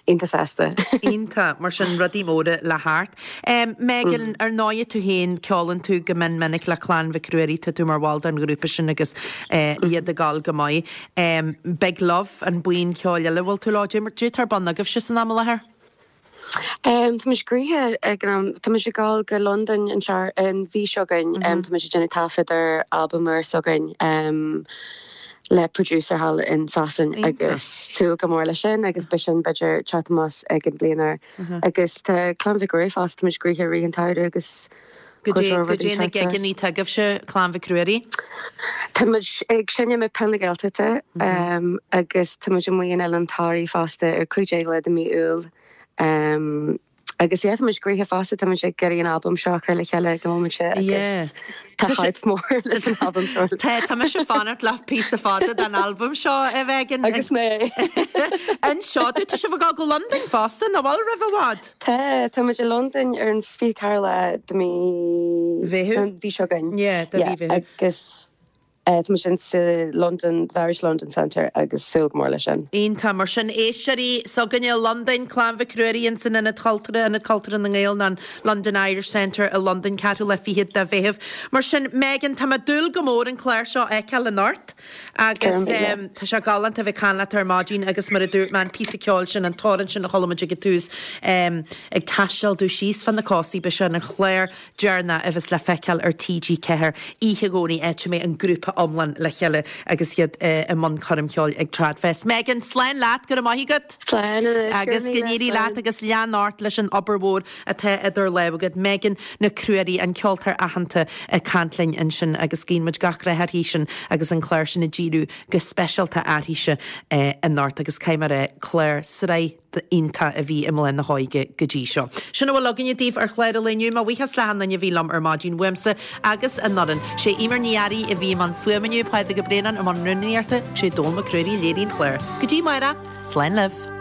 iontach sásta. Iontach mar sin rudaí móra le theacht. Um, Megan ar ndóigh tú féin ceolann tú go mion minic le Clann Mhic Ruairí tá tú mar bhall den ghrúpa sin agus uh, iad ag gabháil go maith. Um, Big Love an buíon ceoil eile bhfuil tú lá dé tar ban agaibh si san am láthair? Um, tá muid gnoitheach ag an am tá muid ag gabháil go Londain an sear an mhí seo chugainn um, tá muid ag déanamh taifead ar album úr s'againn um, le producer thall in Sasain agus súil go mór leis sin agus beidh sin b'fhéidir teacht amach ag an bliain úr agus tá Clann Mhic Ruairí fosta tá muid gnoitheach rith an tsamhraidh agus Go dé na gigeanna atá agaibhse Clann Mhic Ruairí? Tá muid ag seinm ag Peil na Gaeltachta um, agus tá muid amuigh in Oileán Thoraí fosta ar cúig déag lá de mí Iúil. Um, agus yeah, tá muid gnoitheach fosta tá muid ag iarraidh an album seo a chur le chéile go móide agus tá hype mór leis an album seo. Tá tá mise fanacht le píosa fada den album seo a bheith Agus mé. Anseo tú tá sibh ag go Londain fosta nach bhfuil roimh i bhfad. Tá tá muid i Londain ar an fiche ceathair lá de mí Mheitheamh? mhí seo chugainn. Yeah, de mhí Mheitheamh. Agus uh, tá muid in sa London, the Irish London Centre agus súil go mór leis sin. Iontach mar sin éisteoirí s'againne i Londain Clann Mhic Ruairí in san Ionad Cultúrtha Ionad Cultúrtha na nGael an London Irish Centre i Londain ceathrú lá fichead de Mheitheamh. Mar sin Megan tá mé ag dúil go mór an clár seo a fheiceáil anocht agus um, tá sé galánta bheith caint leat ar maidin agus mar a dúirt mé an píosa ceoil sin an t-amhrán sin a chuala muid ag an tús um, ag taisteal tú síos fan na cóstaí beidh sé an chlár deireanach a bheas le feiceáil ar TG Ceathair oíche Dhomhnaigh áit a mbeidh an grúpa iomlán le chéile agus iad uh, i mbun coirm cheoil ag Tradfest. Megan slán leat go raibh maith agat. Slán anois, Agus go go n-éirí leat agus lean ort leis an obair mhór atá idir lámha agat Megan Nic Ruairí an ceoltóir aitheanta ag caint linn ansin agus guíonn muid gach rath uirthi sin agus an clár sin ag díriú go speisialta uirthise eh, anocht agus caithfidh mé a rá clár sraith iontach a bhí i mBlath na hÓige go dtí seo. Sin a bhfuil againne daoibh ar chlár an lae inniu mo bhuíochas le haon duine a bhí liom ar maidin uaimse agus an fhoireann. Sé Emer Ní Fhearraigh a bhí i mbun fuaime inniu Pádraig Ó Braonáin i mbun rúnaíochta sé Dónall Mac Ruairí a léirigh an clár. Go dtí amárach, slán libh.